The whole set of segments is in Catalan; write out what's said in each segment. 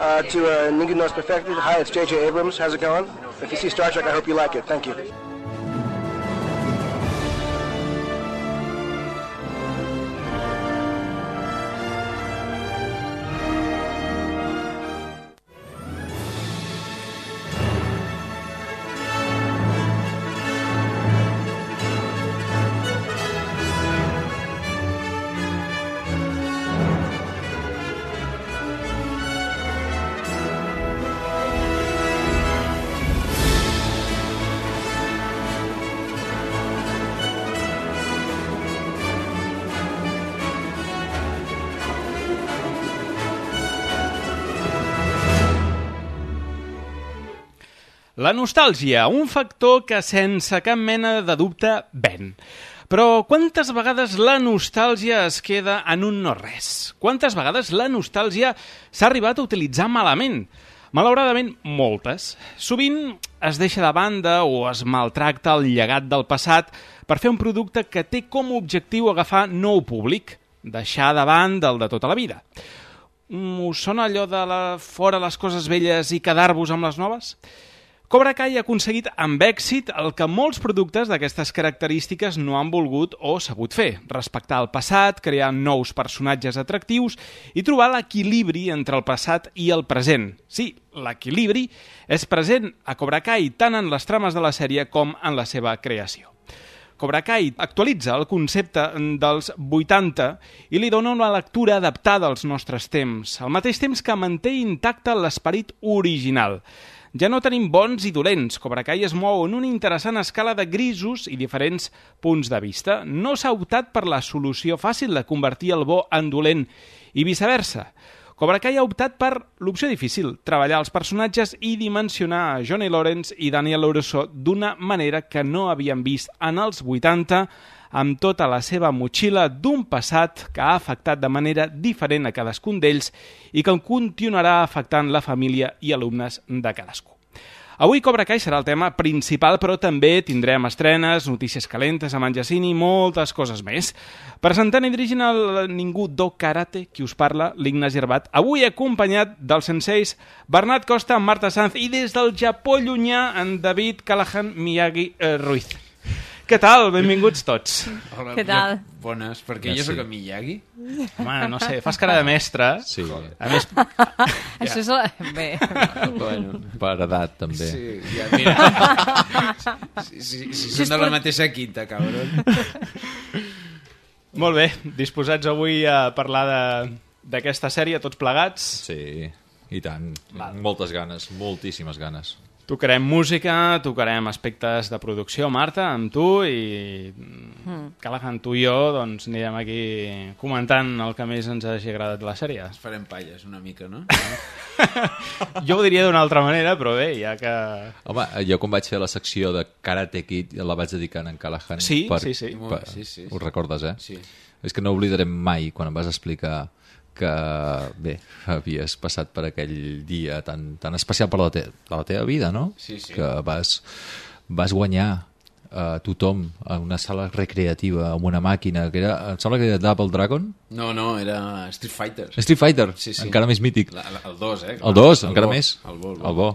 to Ninguno No Es Perfecto. Hi, it's J.J. Abrams. How's it going? If you see Star Trek, I hope you like it. Thank you. La nostàlgia, un factor que sense cap mena de dubte ven. Però quantes vegades la nostàlgia es queda en un no-res? Quantes vegades la nostàlgia s'ha arribat a utilitzar malament? Malauradament, moltes. Sovint es deixa de banda o es maltracta el llegat del passat per fer un producte que té com a objectiu agafar nou públic, deixar davant del de tota la vida. Us sona allò de fora les coses velles i quedar-vos amb les noves? Cobra Kai ha aconseguit amb èxit el que molts productes d'aquestes característiques no han volgut o sabut fer: respectar el passat, crear nous personatges atractius i trobar l'equilibri entre el passat i el present. Sí, l'equilibri és present a Cobra Kai tant en les trames de la sèrie com en la seva creació. Cobra Kai actualitza el concepte dels 80 i li dona una lectura adaptada als nostres temps, al mateix temps que manté intacte l'esperit original. Ja no tenim bons i dolents. Cobra Kai es mou en una interessant escala de grisos i diferents punts de vista. No s'ha optat per la solució fàcil de convertir el bo en dolent i viceversa. Cobra Kai ha optat per l'opció difícil, treballar els personatges i dimensionar a Johnny Lawrence i Daniel LaRusso d'una manera que no havíem vist en els 80, amb tota la seva motxilla d'un passat que ha afectat de manera diferent a cadascun d'ells i que continuarà afectant la família i alumnes de cadascú. Avui Cobra Kai serà el tema principal, però també tindrem estrenes, notícies calentes amb en Jacint i moltes coses més. Presentant i dirigint el Ningú Do Karate, qui us parla, l'Ignasi Herbat, avui acompanyat dels senseis Bernat Costa, Marta Sanz i des del Japó llunyà en David Callahan Miyagi Ruiz. Què tal? Benvinguts tots. Hola, Què tal? Bones, perquè jo sóc en Miyagi. Home, no sé, fas cara de mestre. Sí. A més... Això és... Bé. Bueno, Per edat, també. sí, ja, mira. Si són de la mateixa quinta, cabron. Molt bé, disposats avui a parlar d'aquesta sèrie, tots plegats. Sí, i tant. Moltes ganes, moltíssimes ganes. Tocarem música, tocarem aspectes de producció, Marta, amb tu, i Callahan, tu i jo, doncs anirem aquí comentant el que més ens hagi agradat de la sèrie. Ens farem palles una mica, no? Jo ho diria d'una altra manera, però bé, ja que... Home, jo quan vaig fer la secció de Karate Kid la vaig dedicar a en Callahan. Sí, sí. Sí. Ho recordes, eh? Sí. És que no oblidarem mai quan em vas explicar que, bé, havies passat per aquell dia tan especial per la teva vida, no? Sí. Que vas guanyar tothom a una sala recreativa amb una màquina que era, em sembla que era Double Dragon? No, era Street Fighter. Street Fighter, Sí. encara més mític. El 2, eh? El 2, encara bo, més. El bo. El bo.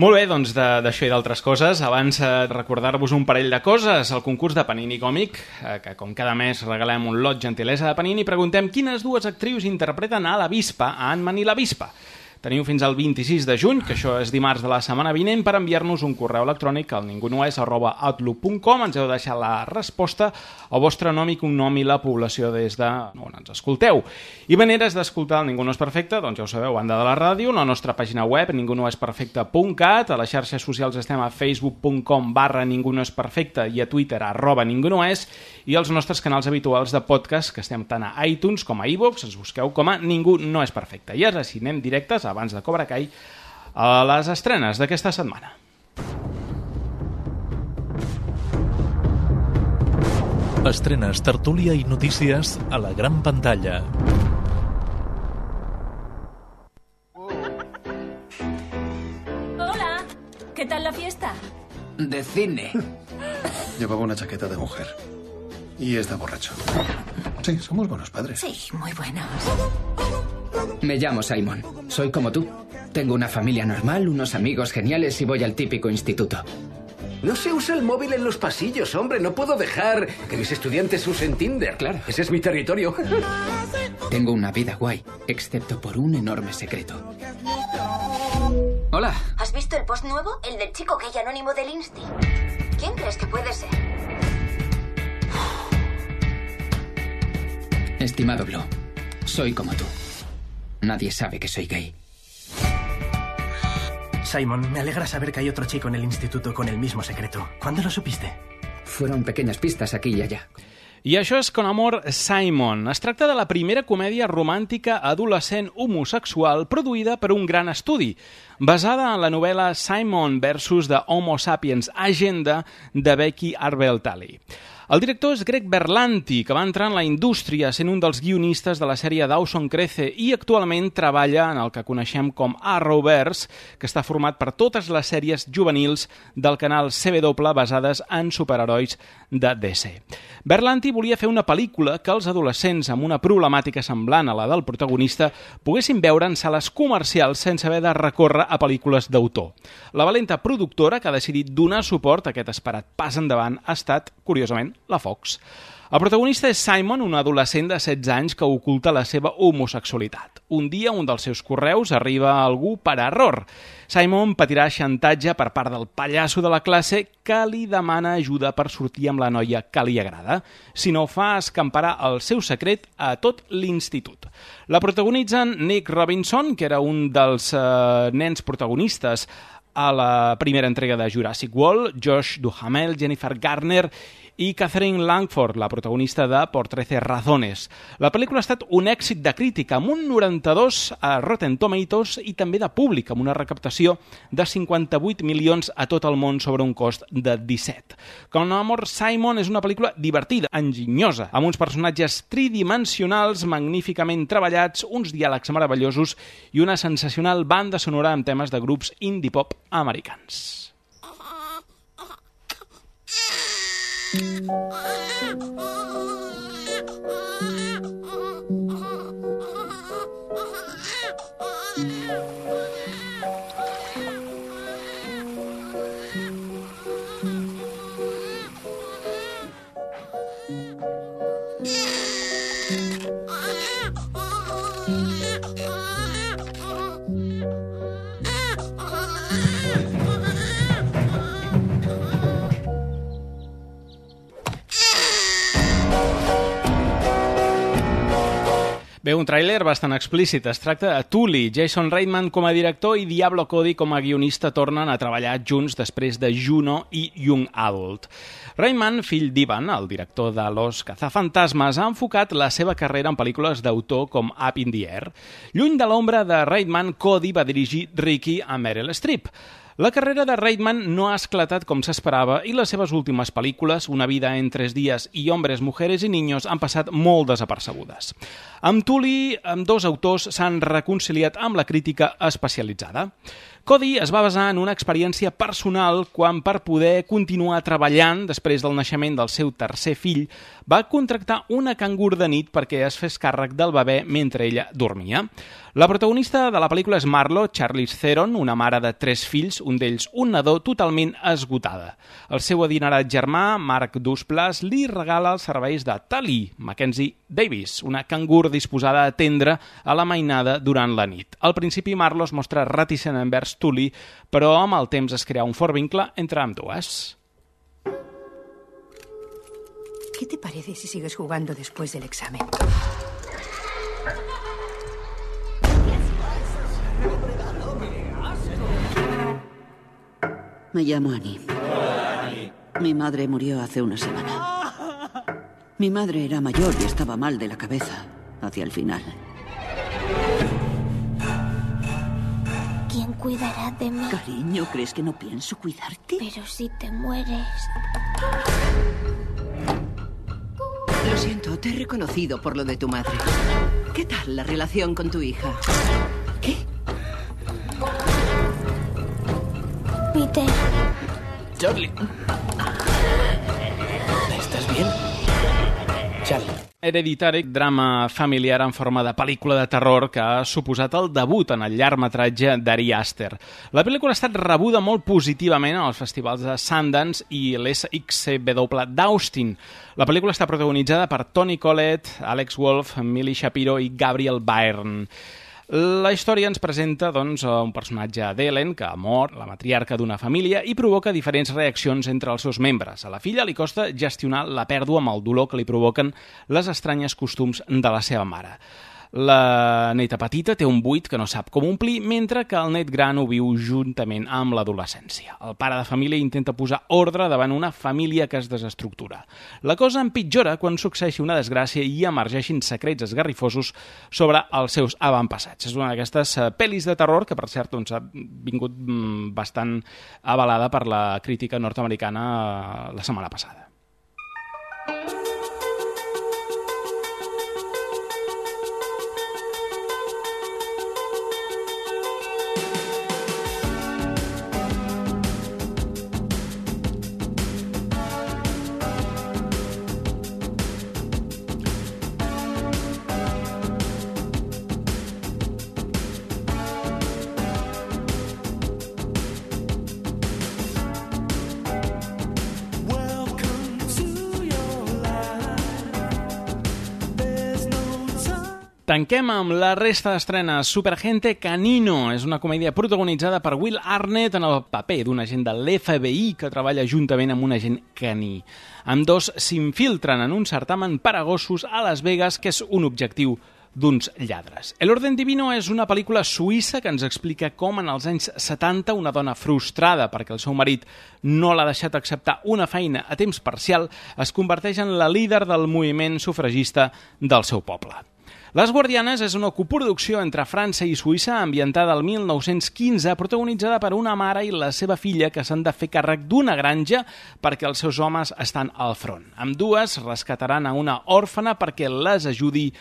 Molt bé, doncs d'això i d'altres coses, abans recordar-vos un parell de coses. El concurs de Panini Còmic, que com cada mes regalem un lot gentilesa de Panini, preguntem quines dues actrius interpreten a la Vispa, a Ant-Man i la Vispa. Teniu fins al 26 de juny, que això és dimarts de la setmana vinent, per enviar-nos un correu electrònic al ningunoes@outlook.com. Ens heu de deixar la resposta, el vostre nom i cognom i la població des de on ens escolteu. I maneres d'escoltar el Ningú no és perfecte, doncs ja ho sabeu, banda de la ràdio, la nostra pàgina web, ningunoesperfecte.cat, a les xarxes socials estem a facebook.com/ningunoesperfecte i a Twitter @ningunoes, i els nostres canals habituals de podcast, que estem tant a iTunes com a iVoox, ens busqueu com a Ningú no és perfecte. I ara sí, anem directes, abans de Cobra Kai, a les estrenes d'aquesta setmana. Estrenes, tertúlia i notícies a la gran pantalla. Hola, ¿qué tal la fiesta? De cine. Llevaba una chaqueta de mujer. Y está borracho. Sí, somos buenos padres. Sí, muy buenos. Me llamo Simon. Soy como tú. Tengo una familia normal, unos amigos geniales y voy al típico instituto. No se usa el móvil en los pasillos, hombre. No puedo dejar que mis estudiantes usen Tinder. Claro. Ese es mi territorio. Tengo una vida guay, excepto por un enorme secreto. Hola. ¿Has visto el post nuevo? El del chico gay anónimo del Insti. ¿Quién crees que puede ser? Estimado Blue, soy como tú. Nadie sabe que soy gay. Simon, me alegra saber que hay otro chico en el instituto con el mismo secreto. ¿Cuándo lo supiste? Fueron pequeñas pistas aquí y allá. I això és Con amor, Simon. Es tracta de la primera comèdia romàntica adolescent homosexual produïda per un gran estudi, basada en la novel·la Simon versus the Homo Sapiens Agenda de Becky Arbel-Talley. El director és Greg Berlanti, que va entrar en la indústria sent un dels guionistes de la sèrie Dawson Crece i actualment treballa en el que coneixem com Arrowverse, que està format per totes les sèries juvenils del canal CW basades en superherois de DC. Berlanti volia fer una pel·lícula que els adolescents amb una problemàtica semblant a la del protagonista poguessin veure en sales comercials sense haver de recórrer a pel·lícules d'autor. La valenta productora que ha decidit donar suport a aquest esperat pas endavant ha estat, curiosament, la Fox. El protagonista és Simon, un adolescent de 16 anys que oculta la seva homosexualitat. Un dia, un dels seus correus arriba a algú per error. Simon patirà xantatge per part del pallasso de la classe que li demana ajuda per sortir amb la noia que li agrada. Si no ho fa, escamparà el seu secret a tot l'institut. La protagonitzen Nick Robinson, que era un dels nens protagonistes a la primera entrega de Jurassic World, Josh Duhamel, Jennifer Garner i Catherine Langford, la protagonista de Por 13 razones. La pel·lícula ha estat un èxit de crítica, amb un 92 a Rotten Tomatoes i també de públic, amb una recaptació de 58 milions a tot el món sobre un cost de 17. Con amor, Simon és una pel·lícula divertida, enginyosa, amb uns personatges tridimensionals magníficament treballats, uns diàlegs meravellosos i una sensacional banda sonora amb temes de grups indie pop americans. Bé, un tràiler bastant explícit. Es tracta de Tully. Jason Reitman com a director i Diablo Cody com a guionista tornen a treballar junts després de Juno i Young Adult. Reitman, fill d'Ivan, el director de Los Cazafantasmas, ha enfocat la seva carrera en pel·lícules d'autor com Up in the Air. Lluny de l'ombra de Reitman, Cody va dirigir Ricky a Meryl Streep. La carrera de Reitman no ha esclatat com s'esperava i les seves últimes pel·lícules, Una vida en 3 días i Hombres, mujeres y niños, han passat molt desapercebudes. Amb Tully, ambdós autors s'han reconciliat amb la crítica especialitzada. Cody es va basar en una experiència personal quan, per poder continuar treballant després del naixement del seu tercer fill, va contractar una cangur de nit perquè es fes càrrec del bebè mentre ella dormia. La protagonista de la pel·lícula és Marlo, Charlize Theron, una mare de 3 fills, un d'ells un nadó, totalment esgotada. El seu adinerat germà, Mark Duplass, li regala els serveis de Tally, Mackenzie Davis, una cangur disposada a atendre a la mainada durant la nit. Al principi Marlo es mostra reticent envers Tully, però amb el temps es crea un fort vincle entre ambdues. ¿Qué te parece si sigues jugando después del examen? Me llamo Annie. Hola, Annie. Mi madre murió hace una semana. Mi madre era mayor y estaba mal de la cabeza hacia el final. ¿Quién cuidará de mí? Cariño, ¿crees que no pienso cuidarte? Pero si te mueres... Lo siento, te he reconocido por lo de tu madre. ¿Qué tal la relación con tu hija? ¿Qué? Peter. Charlie. ¿Estás bien? Charlie. Hereditary, drama familiar en forma de pel·lícula de terror que ha suposat el debut en el llargmetratge d'Ari Aster. La pel·lícula ha estat rebuda molt positivament als festivals de Sundance i l'SXCW d'Austin. La pel·lícula està protagonitzada per Toni Collette, Alex Wolff, Millie Shapiro i Gabriel Byrne. La història ens presenta un personatge d'Ellen que mor, la matriarca d'una família, i provoca diferents reaccions entre els seus membres. A la filla li costa gestionar la pèrdua amb el dolor que li provoquen les estranyes costums de la seva mare. La neta petita té un buit que no sap com omplir, mentre que el net gran ho viu juntament amb l'adolescència. El pare de família intenta posar ordre davant una família que es desestructura. La cosa empitjora quan succeeixi una desgràcia i emergeixin secrets esgarrifosos sobre els seus avantpassats. És una d'aquestes pel·lis de terror que, per cert, ha vingut bastant avalada per la crítica nord-americana la setmana passada. Tanquem amb la resta d'estrenes. Superagente Canino és una comèdia protagonitzada per Will Arnett en el paper d'un agent de l'FBI que treballa juntament amb un agent caní. Ambdós s'infiltren en un certamen per a gossos a Las Vegas, que és un objectiu d'uns lladres. El Orden Divino és una pel·lícula suïssa que ens explica com en els anys 70 una dona frustrada perquè el seu marit no l'ha deixat acceptar una feina a temps parcial es converteix en la líder del moviment sufragista del seu poble. Les Guardianes és una coproducció entre França i Suïssa ambientada al 1915, protagonitzada per una mare i la seva filla que s'han de fer càrrec d'una granja perquè els seus homes estan al front. Ambdues rescataran a una òrfana perquè les ajudi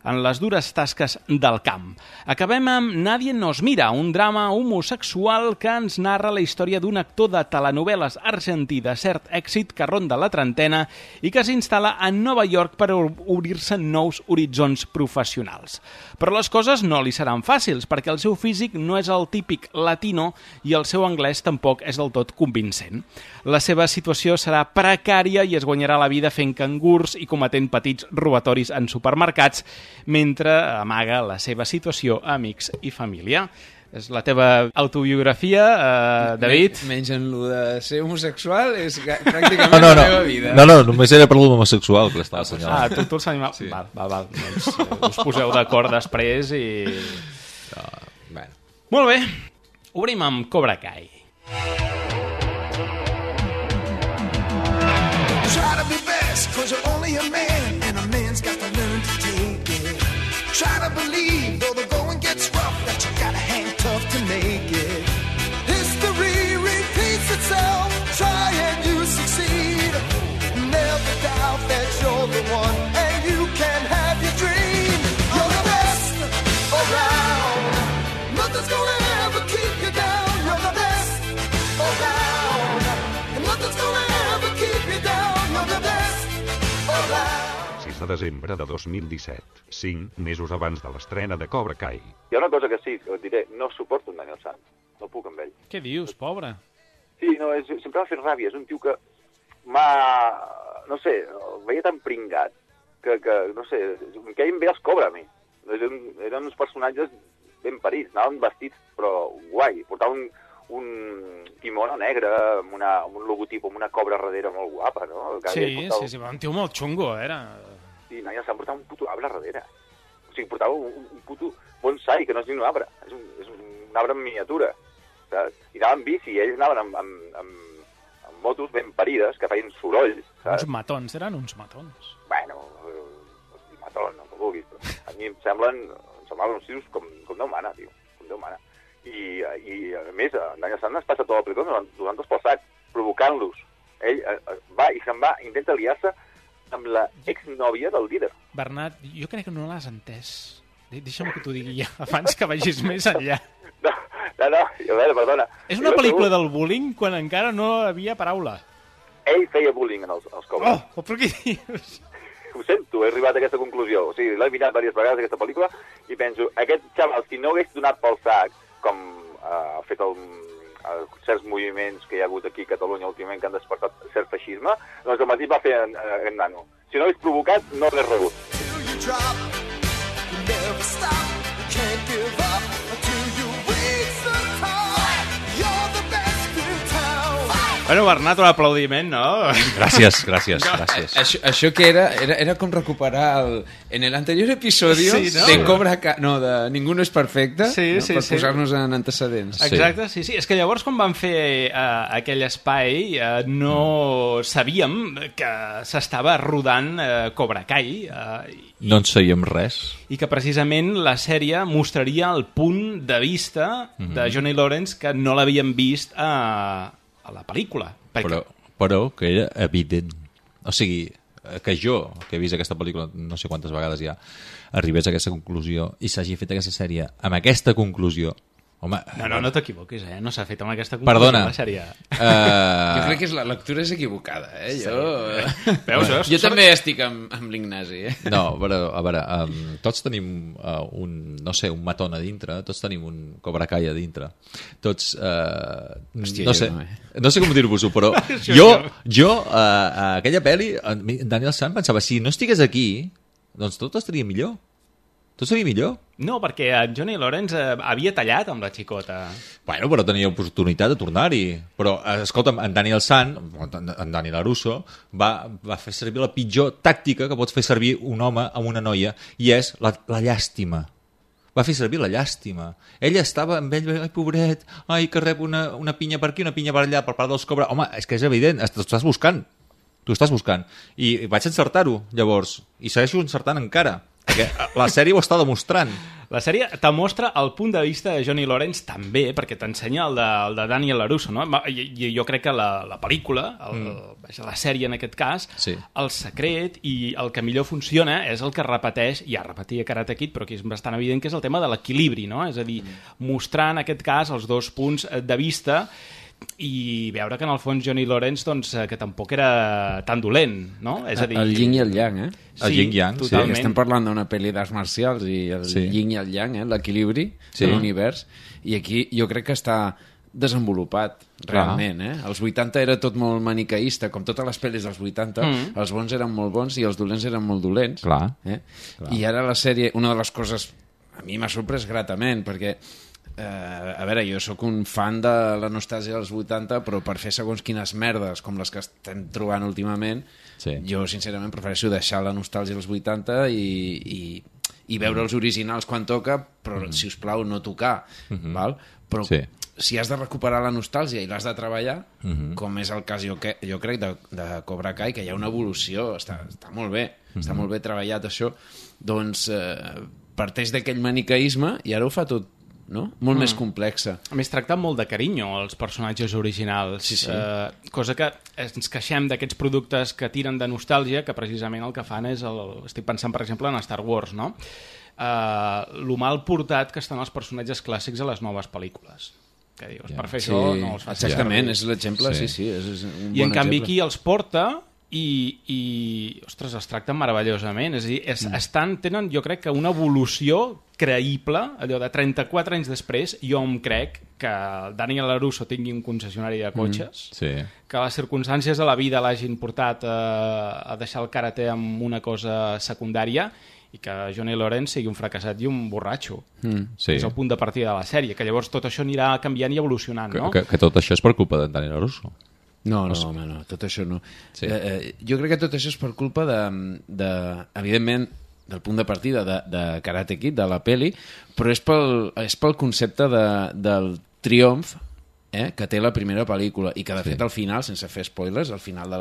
en les dures tasques del camp. Acabem amb Nadie nos mira, un drama homosexual que ens narra la història d'un actor de telenovel·les argentí de cert èxit que ronda la trentena i que s'instal·la a Nova York per obrir-se nous horitzons professionals. Però les coses no li seran fàcils, perquè el seu físic no és el típic latino i el seu anglès tampoc és del tot convincent. La seva situació serà precària i es guanyarà la vida fent cangurs i cometent petits robatoris en supermercats, mentre amaga la seva situació a amics i família. És la teva autobiografia, David? Menys en lo de ser homosexual, és pràcticament la meva vida. No, només era per l'homosexual que l'estava assenyalant. Tu els animals... Sí. Val. Doncs us poseu d'acord després i... Bueno. Molt bé, obrim amb Cobra Kai. Try to be best, 'cause you're only a man, and a man's got to learn to take it. Try to believe, though the going gets rough, that you gotta hang tough to make it. History repeats itself, try and you succeed. Never doubt that you're the one, and you can have your dream. You're the best around, nothing's gonna ever keep you down. You're the best around, and nothing's gonna ever keep you down. You're the best around. 6 de desembre de 2017, 5 mesos abans de l'estrena de Cobra Kai. Hi ha una cosa que sí, que et diré, no suporto en Daniel San, no puc amb ell. Què dius, pobre? Sí, no, sempre m'ha fet ràbia, és un tio que no sé, el veia tan pringat, que no sé, em queien bé els Cobra a mi. Eren uns personatges ben parits, anaven vestits, però guai, portaven un quimono negre amb un logotip, amb una cobra darrere molt guapa, no? Sí, un tio molt xungo, era... Sí, Daniel San portava un puto arbre darrere. O sigui, portava un puto bonsai, que no és ni un arbre, és un arbre en miniatura, saps? I anaven en bici, i ells anaven amb motos ben parides, que feien soroll, saps? Uns matons, eren uns matons. Bueno, matons, no ho vulguis, però a mi em semblaven uns tios com Déu mana, tio, com Déu mana. I a més, Daniel San es passa tot el pelotó donant-los pel sac, provocant-los. Ell va i se'n va, intenta liar-se amb la exnòvia del líder. Bernat, jo crec que no l'has entès. Deixa'm que t'ho digui ja, abans que vagis més enllà. No, a veure, perdona. És una pel·lícula del bullying quan encara no havia paraula. Ell feia bullying en els Cobra. Oh, però què dius? ho sento, he arribat a aquesta conclusió. O sigui, l'he mirat diverses vegades, aquesta pel·lícula, i penso, aquest xaval, si no hagués donat pel sac, com ha fet certs moviments que hi ha hagut aquí a Catalunya últimament que han despertat cert feixisme, doncs el mateix va fer en nano. Si no hagués provocat, no hagués rebut. Bueno, Bernat, un aplaudiment, no? Gràcies. Això que era com recuperar en el anterior episodio de Cobra Kai, no, de Ningú no és perfecte, per posar-nos en antecedents. Exacte, sí. És que llavors quan van fer aquell espai no sabíem que s'estava rodant Cobra Kai. No en sabíem res. I que precisament la sèrie mostraria el punt de vista de Johnny Lawrence que no l'havíem vist a la pel·lícula. Però que era evident. O sigui, que jo, que he vist aquesta pel·lícula no sé quantes vegades ja, arribés a aquesta conclusió i s'hagi fet aquesta sèrie amb aquesta conclusió. Home, no t'equivoquis, no s'ha fet amb aquesta conclusió. Perdona. La sèrie. Jo crec que la lectura és equivocada, Jo també estic amb l'Ignasi. No, però, a veure, tots tenim un matón a dintre, tots tenim un Cobra Kai a dintre. Tots, no sé com dir-vos-ho, però jo aquella pel·li, Daniel San pensava, si no estigués aquí, doncs tot estaria millor. Tot seria millor? No, perquè en Johnny Lawrence havia tallat amb la xicota. Bueno, però tenia oportunitat de tornar-hi. Però, escolta'm, en Daniel San, en Dani LaRusso, va fer servir la pitjor tàctica que pots fer servir un home amb una noia, i és la llàstima. Va fer servir la llàstima. Ella estava amb ell, ai, pobret, ai, que rep una pinya per aquí, una pinya per allà, per part dels Cobra. Home, és que és evident, t'ho estàs buscant. I vaig encertar-ho, llavors, i segueixo encertant encara. Perquè la sèrie ho està demostrant. La sèrie te mostra el punt de vista de Johnny Lawrence també, perquè t'ensenya el de Daniel LaRusso, no? I jo crec que la pel·lícula, la sèrie en aquest cas, el secret i el que millor funciona és el que repeteix, ja repetia Karate Kid, però aquí és bastant evident que és el tema de l'equilibri, no? És a dir, mostrar en aquest cas els dos punts de vista i veure que en el fons Johnny Lawrence doncs, que tampoc era tan dolent, no? És a dir... El yin i el yang, El yin i yang, totalment. Estem parlant d'una pel·li d'arts marcials i el yin i el yang, l'equilibri de l'univers, i aquí jo crec que està desenvolupat realment. Als 80 era tot molt maniqueista, com totes les pel·lis dels 80, els bons eren molt bons i els dolents eren molt dolents. I ara la sèrie, una de les coses a mi m'ha sorprès gratament, perquè a veure, jo sóc un fan de la nostàlgia dels 80, però per fer segons quines merdes com les que estem trobant últimament, jo sincerament prefereixo deixar la nostàlgia dels 80 i veure els originals quan toca, però si us plau no tocar, val? Però si has de recuperar la nostàlgia i l'has de treballar, com és el cas jo crec de Cobra Kai, que hi ha una evolució, està molt bé, està molt bé treballat això, doncs parteix d'aquell maniqueisme i ara ho fa tot molt més complexa. A més, tracta molt de carinyo els personatges originals, cosa que ens queixem d'aquests productes que tiren de nostàlgia, que precisament el que fan és, estic pensant per exemple en Star Wars, no? Lo mal portat que estan els personatges clàssics a les noves pel·lícules. Que dius, per fer això no els facis. Exactament, és l'exemple, és un bon I en canvi aquí els porta i ostres, els tracten meravellosament, és a dir, tenen jo crec que una evolució creïble, allò de 34 anys després, jo em crec que Daniel LaRusso tingui un concessionari de cotxes, que les circumstàncies de la vida l'hagin portat a deixar el karate amb una cosa secundària i que Johnny Lawrence sigui un fracassat i un borratxo. És el punt de partida de la sèrie, que llavors tot això anirà canviant i evolucionant, no? Que tot això és per culpa de Daniel LaRusso. No, tot això no. Jo crec que tot això és per culpa evidentment, del punt de partida de Karate Kid, de la peli, però és pel concepte del triomf que té la primera pel·lícula i que de fet al final, sense fer spoilers, al final de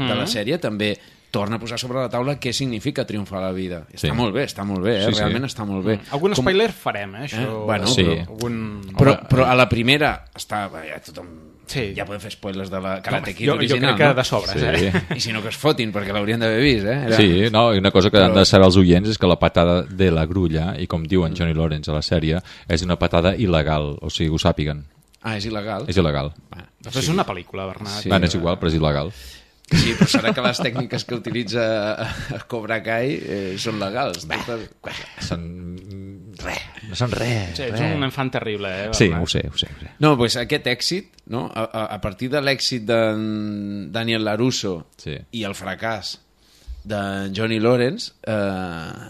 la sèrie també torna a posar sobre la taula què significa triomfar a la vida. Està molt bé, realment està molt bé. Algun spoiler farem, això. Però a la primera està... tothom... Ja podem fer spoilers de la Karate Kid original. Jo crec que de sobres, I si no que es fotin, perquè l'haurien d'haver vist, Sí, no, i una cosa que han de saber els oients és que la patada de la grulla, i com diuen Johnny Lawrence a la sèrie, és una patada il·legal, o sigui, ho sàpiguen. És il·legal? És il·legal. Això és una pel·lícula, Bernat. És igual, però és il·legal. Sí, però serà que les tècniques que utilitza Cobra Kai són legals. No són res. Ets un enfant terrible, Sí, ho sé. No, doncs aquest èxit, no? A partir de l'èxit de Daniel LaRusso i el fracàs de Johnny Lawrence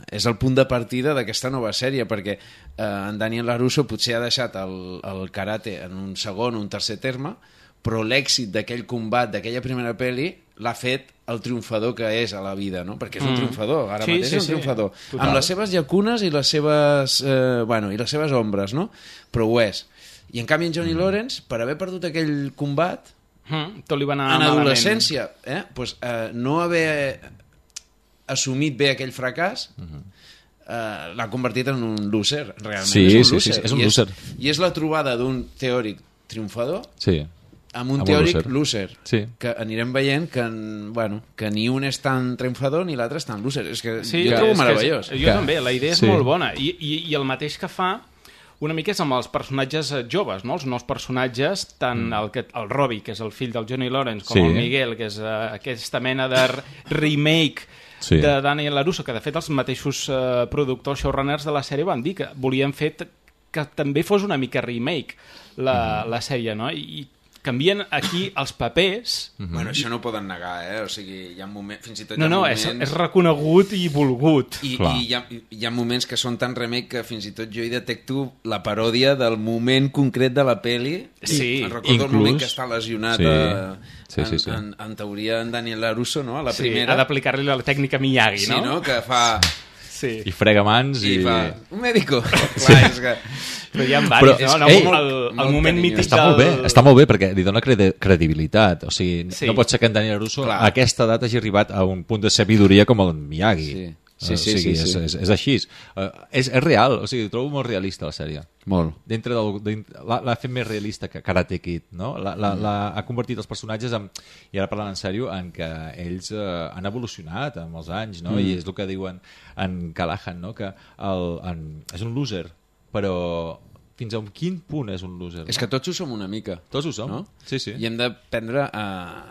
és el punt de partida d'aquesta nova sèrie, perquè en Daniel LaRusso potser ha deixat el karate en un segon o un tercer terme, però l'èxit d'aquell combat, d'aquella primera pel·li, l'ha fet el triomfador que és a la vida, no? Perquè és un triomfador, ara mateix és un triomfador. Total. Amb les seves llacunes i les seves, i les seves ombres, no? Però ho és. I en canvi en Johnny Lawrence, per haver perdut aquell combat, tot li va anar en adolescència, no haver assumit bé aquell fracàs, l'ha convertit en un loser, realment. Sí, és un loser. I és la trobada d'un teòric triomfador amb un Amb un teòric loser. loser, que anirem veient que ni un és tan triomfador ni l'altre és tan loser. És que jo ho trobo meravellós. Jo també, la idea és molt bona. I el mateix que fa una mica és amb els personatges joves, no? Els nous personatges, tant el Robbie, que és el fill del Johnny Lawrence, com el Miguel, que és aquesta mena de remake de Daniel LaRusso, que de fet els mateixos productors showrunners de la sèrie van dir que volien fer que també fos una mica remake la sèrie, no? I canvien aquí els papers... Bueno, això no ho poden negar, o sigui, hi ha moments... Fins i tot No, és reconegut i volgut. I hi ha moments que són tan remake que fins i tot jo hi detecto la paròdia del moment concret de la peli. Sí, recordo el moment que està lesionat en teoria en Daniel LaRusso, no? A la primera. Ha d'aplicar-li la tècnica Miyagi, no? Sí, no? Que fa... I frega mans i... fa... Un médico. Clar, és que... Però hi ha diversos, el moment mític Està molt bé, perquè li dona credibilitat. O sigui, no pot ser que en Daniel LaRusso a aquesta edat hagi arribat a un punt de sabidoria com el Miyagi. Sí. És així. És real, o sigui, ho trobo molt realista la sèrie. Molt. L'ha fet més realista que Karate Kid, no? Ha convertit els personatges i ara parlant en sèrio, en què ells han evolucionat amb els anys, no? I és el que diuen en Callahan, no? Que és un loser, però fins a quin punt és un loser? És que tots ho som una mica. Tots ho som, no? Sí. I hem d'aprendre a...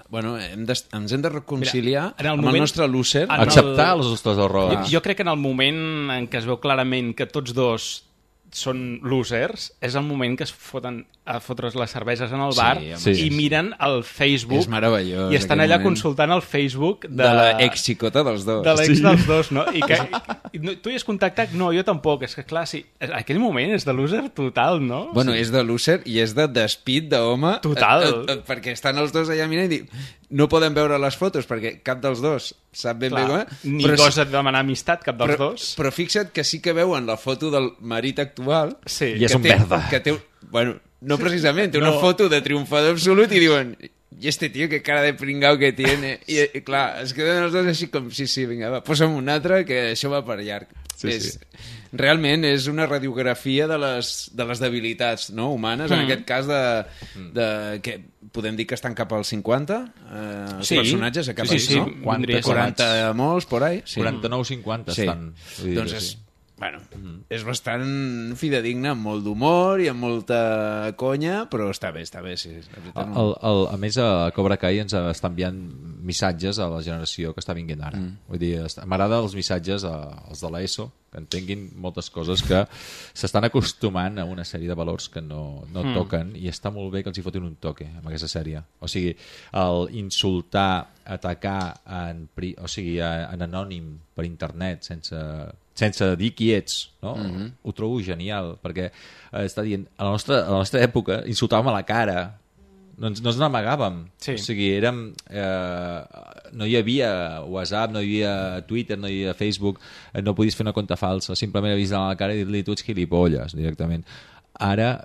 ens hem de reconciliar amb el nostre loser. Acceptar els nostres errors. Jo crec que en el moment en què es veu clarament que tots dos són losers, és el moment que es foten a fotre's les cerveses en el bar i miren el Facebook. És meravellós. I estan allà consultant el Facebook de l'ex-xicota dels dos. De l'ex dels dos, no? I que tu hi has contactat? No, jo tampoc. És que, clar, sí, aquell moment és de loser total, no? Bueno, és de loser i és de despit d'home. Total. Perquè estan els dos allà mirant i dic, no podem veure les fotos perquè cap dels dos sap ben bé com. Ni gosa demanar amistat, cap dels dos. Però fixa't que sí que veuen la foto del marit actual. Sí. I és un merda. Que té, bueno, no precisament, té una foto de triomfador absolut i diuen, i este tio que cara de pringao que tiene. I clar, es queden els dos així com, sí, vinga, va, posa'm un altre que això va per llarg. Realment és una radiografia de les debilitats, no, humanes, en aquest cas que podem dir que estan cap als 50 els personatges, cap als 40 molts, por ahí. 49-50 estan. Doncs és bastant fidedigne, amb molt d'humor i amb molta conya, però està bé, sí. A més, a Cobra Kai ens està enviant missatges a la generació que està vinguent ara. Vull dir, m'agrada els missatges als de l'ESO, que entenguin moltes coses que s'estan acostumant a una sèrie de valors que no toquen, i està molt bé que els hi fotin un toque amb aquesta sèrie. O sigui, el insultar, atacar en anònim per internet sense dir qui ets, no? Ho trobo genial, perquè està dient, a la nostra època insultàvem a la cara, no ens n'amagàvem. O sigui, no hi havia WhatsApp, no hi havia Twitter, no hi havia Facebook, no podies fer una compte falsa, simplement avisar a la cara i dir-li tu ets gilipolles directament. Ara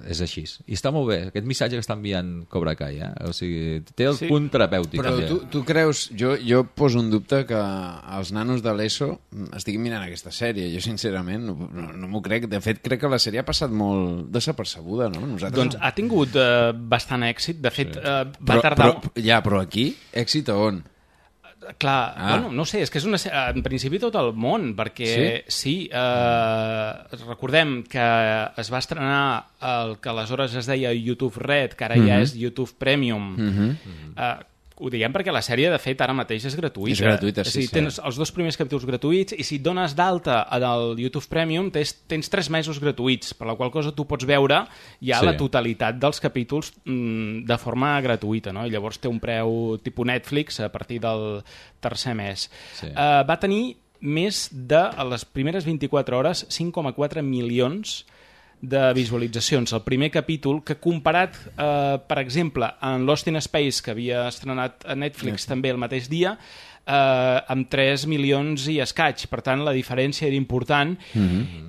és així. I està molt bé, aquest missatge que està enviant Cobra Kai, o sigui, té el punt terapèutic. Però tu creus, jo poso un dubte que els nanos de l'ESO estiguin mirant aquesta sèrie. Jo sincerament no m'ho crec. De fet, crec que la sèrie ha passat molt desapercebuda, no? Doncs ha tingut bastant èxit. De fet, va tardar... Però aquí, èxit a on? Clar, bueno, no sé, és que és en principi tot el món, perquè recordem que es va estrenar el que aleshores es deia YouTube Red, que ara ja és YouTube Premium, Ho diguem perquè la sèrie, de fet, ara mateix és gratuïta. És gratuïta, sí. És a dir, tens els 2 primers capítols gratuïts i si et dones d'alta al YouTube Premium tens 3 mesos gratuïts, per la qual cosa tu pots veure ja la totalitat dels capítols de forma gratuïta, no? I llavors té un preu tipus Netflix a partir del tercer mes. Va tenir més de, a les primeres 24 hores, 5,4 milions de visualitzacions. El primer capítol, que comparat, per exemple, en Lost in Space, que havia estrenat a Netflix també el mateix dia, amb 3 milions i escaig. Per tant, la diferència era important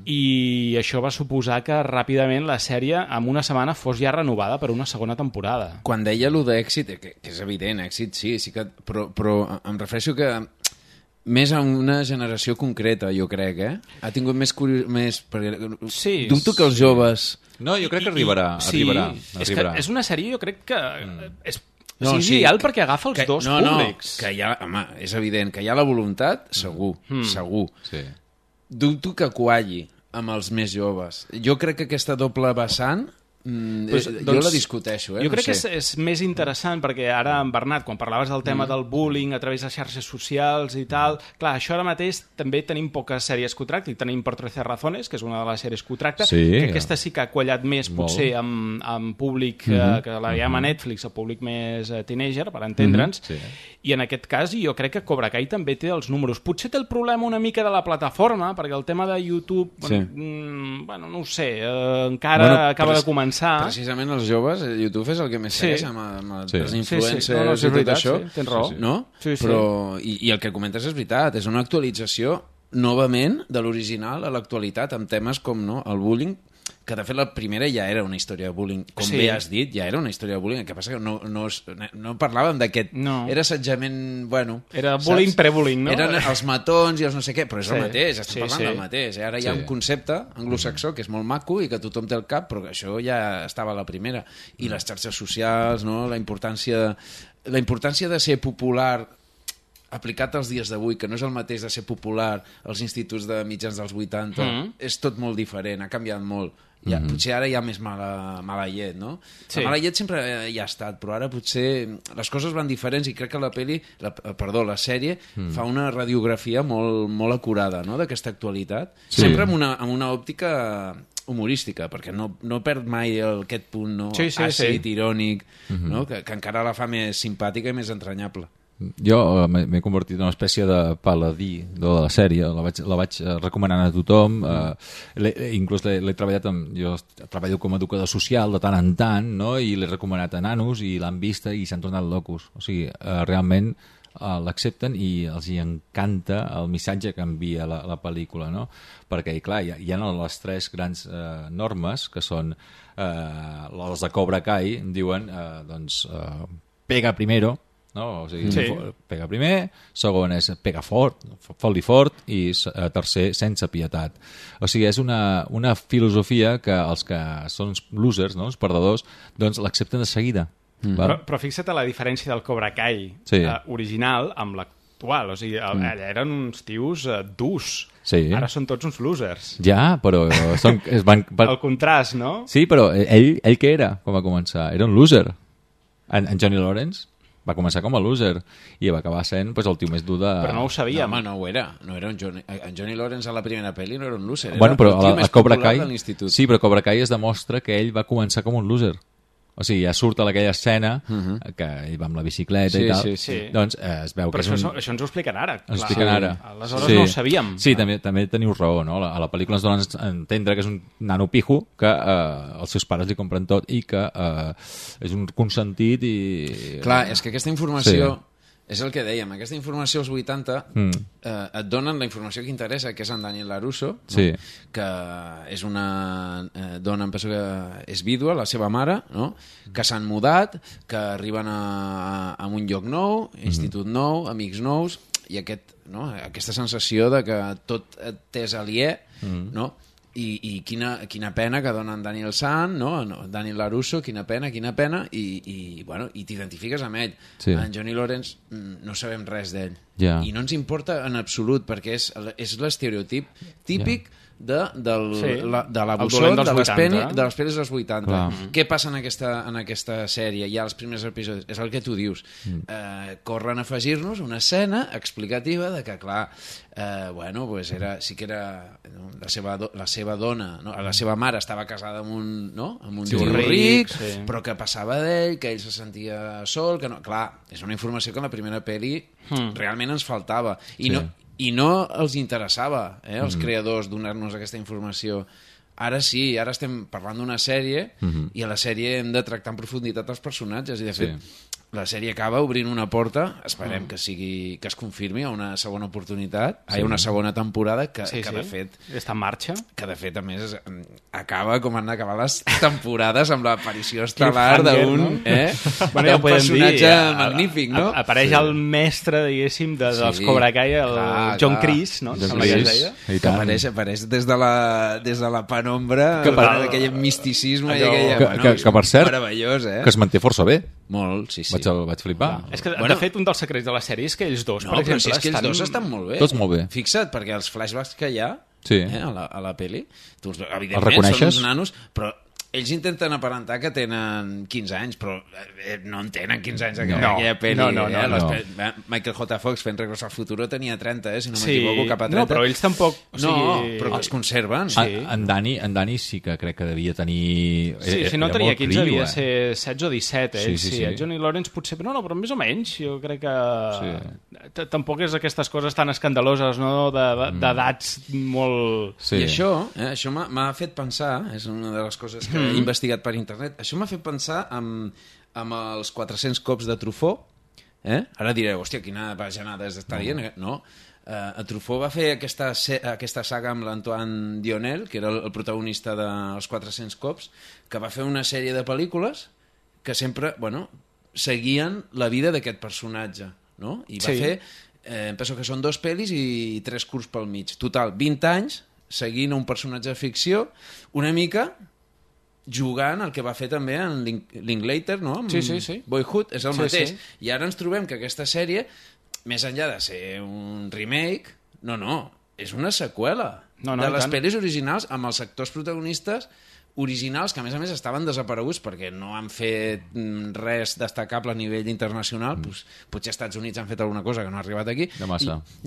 i això va suposar que ràpidament la sèrie en una setmana fos ja renovada per una segona temporada. Quan deia allò d'èxit, que és evident, èxit sí que, però em refereixo que més a una generació concreta, jo crec, Ha tingut més sí, dubto que els joves... No, jo crec que arribarà. És una sèrie, jo crec que és ideal perquè agafa els dos públics. Que hi ha, home, és evident que hi ha la voluntat, segur. Sí. Dubto que qualli amb els més joves. Jo crec que aquesta doble vessant jo la discuteixo. Jo crec que és més interessant perquè ara, en Bernat, quan parlaves del tema del bullying a través de xarxes socials i tal, clar, això ara mateix també tenim poques sèries que ho tracten, tenim Por 13 razones, que és una de les sèries que ho tracta, que aquesta sí que ha quallat més potser amb públic que la llama Netflix, el públic més teenager, per entendre'ns, i en aquest cas jo crec que Cobra Kai també té els números. Potser té el problema una mica de la plataforma, perquè el tema de YouTube, bueno, no ho sé, encara acaba de començar. Precisament els joves, YouTube és el que més segueix amb els influencers i tot això. Tens raó. No? Però, i el que comentes és veritat, és una actualització novament de l'original a l'actualitat amb temes com el bullying, que de fet la primera ja era una història de bullying, com bé has dit, ja era una història de bullying, el que passa que no parlàvem d'aquest... Era assetjament, bueno... Era bullying pre-bullying, no? Eren els matons i els no sé què, però és el mateix, estem parlant del mateix. Ara hi ha un concepte anglosaxó que és molt maco i que tothom té al cap, però que això ja estava a la primera. I les xarxes socials, la importància de ser popular aplicat als dies d'avui, que no és el mateix de ser popular als instituts de mitjans dels 80, és tot molt diferent, ha canviat molt. Potser ara hi ha més mala llet, no? La mala llet sempre hi ha estat, però ara potser les coses van diferents i crec que la sèrie fa una radiografia molt acurada, no?, d'aquesta actualitat, sempre amb una òptica humorística, perquè no perd mai aquest punt àcid, irònic, que encara la fa més simpàtica i més entranyable. Jo m'he convertit en una espècie de paladí de la sèrie, la vaig recomanant a tothom, inclús l'he treballat jo treballo com a educador social de tant en tant, no? I l'he recomanat a nanos i l'han vista i s'han tornat locos. O sigui, realment l'accepten i els hi encanta el missatge que envia la pel·lícula, no? Perquè, clar, hi ha les 3 grans normes, que són les de Cobra Kai, diuen, doncs, pega primero, no? O sigui, pega primer, segon és pega fort, fot-li fort, i tercer, sense pietat. O sigui, és una filosofia que els que són losers, no?, els perdedors, doncs l'accepten de seguida. Però fixa't a la diferència del Cobra Kai original amb l'actual. O sigui, allà eren uns tios durs. Ara són tots uns losers. Ja, però... El contrast, no? Sí, però ell què era quan va començar? Era un loser. En Johnny Lawrence va començar com a loser i va acabar sent el tio més dur de... Però no ho sabíem. No, home, no ho era. En Johnny Lawrence a la primera pel·li no era un loser. Bueno, però el tio més popular de l'institut. Sí, però a Cobra Kai es demostra que ell va començar com un loser. O sigui, ja surt a aquella escena que ell va amb la bicicleta i tal. Doncs es veu que és un... Però això ens ho expliquen ara. Ens ho expliquen ara. Aleshores no ho sabíem. Sí, també teniu raó, no? A la pel·lícula ens donen a entendre que és un nano pijo, que els seus pares li compren tot i que és un consentit i... Clar, és que aquesta informació... És el que dèiem, aquesta informació als 80 et donen la informació que interessa, que és en Daniel LaRusso, que és una dona, em penso que és vídua, la seva mare, que s'han mudat, que arriben a un lloc nou, institut nou, amics nous, i aquesta sensació de que tot t'és aliè, no? I quina pena que dona en Daniel San, Daniel LaRusso, quina pena, i t'identifiques amb ell. En Johnny Lawrence no sabem res d'ell. I no ens importa en absolut, perquè és l'estereotip típic de l'abusor de les pel·lis dels 80. Què passa en aquesta sèrie? Ja els primers episodis, és el que tu dius. Corren a afegir-nos una escena explicativa de que, clar, sí que era la seva dona, la seva mare estava casada amb un tio ric, però que passava d'ell, que ell se sentia sol, que no... Clar, és una informació que en la primera pel·li realment ens faltava. I no els interessava, als creadors, donar-nos aquesta informació. Ara sí, ara estem parlant d'una sèrie i a la sèrie hem de tractar en profunditat els personatges i, de fet, la sèrie acaba obrint una porta, esperem que es confirmi a una segona oportunitat, a una segona temporada que de fet... Està en marxa. Que de fet, a més, acaba com han d'acabar les temporades amb l'aparició estel·lar d'un personatge magnífic, no? Apareix el mestre, diguéssim, dels Cobra Kai, el John Kreese, no? Apareix des de la penombra, aquell misticisme que per cert, meravellós, que es manté força bé. Molt, sí. Vaig flipar. És que, de fet, un dels secrets de la sèrie és que ells dos, per exemple... No, però és que ells dos estan molt bé. Tots molt bé. Fixa't, perquè els flashbacks que hi ha a la pel·li, evidentment són uns nanos, però ells intenten aparentar que tenen 15 anys, però no en tenen 15 anys aquella pel·li. No. Michael J. Fox fent Regreso al Futuro tenia 30, si no m'equivoco, cap a 30. No, però ells tampoc... però que es conserven. En Dani sí que crec que devia tenir... Si no tenia 15, devia ser 16 o 17, Sí. El Johnny Lawrence potser... No, però més o menys. Jo crec que tampoc és aquestes coses tan escandaloses, no?, d'edats molt... I això m'ha fet pensar, és una de les coses que he investigat per internet, això m'ha fet pensar amb els 400 cops de Truffaut. Ara direu, hòstia, quina bajanada és d'estar dient. No, Truffaut va fer aquesta saga amb l'Antoine Dionel, que era el protagonista dels 400 cops, que va fer una sèrie de pel·lícules que sempre, seguien la vida d'aquest personatge, no? I va fer, penso que són 2 pel·lis i 3 curts pel mig. Total, 20 anys seguint un personatge de ficció, una mica jugant el que va fer també en Linklater, no? Boyhood, és el mateix. I ara ens trobem que aquesta sèrie, més enllà de ser un remake, és una seqüela de les pel·lis originals amb els actors protagonistes originals que a més estaven desapareguts perquè no han fet res destacable a nivell internacional. Potser als Estats Units han fet alguna cosa que no ha arribat aquí.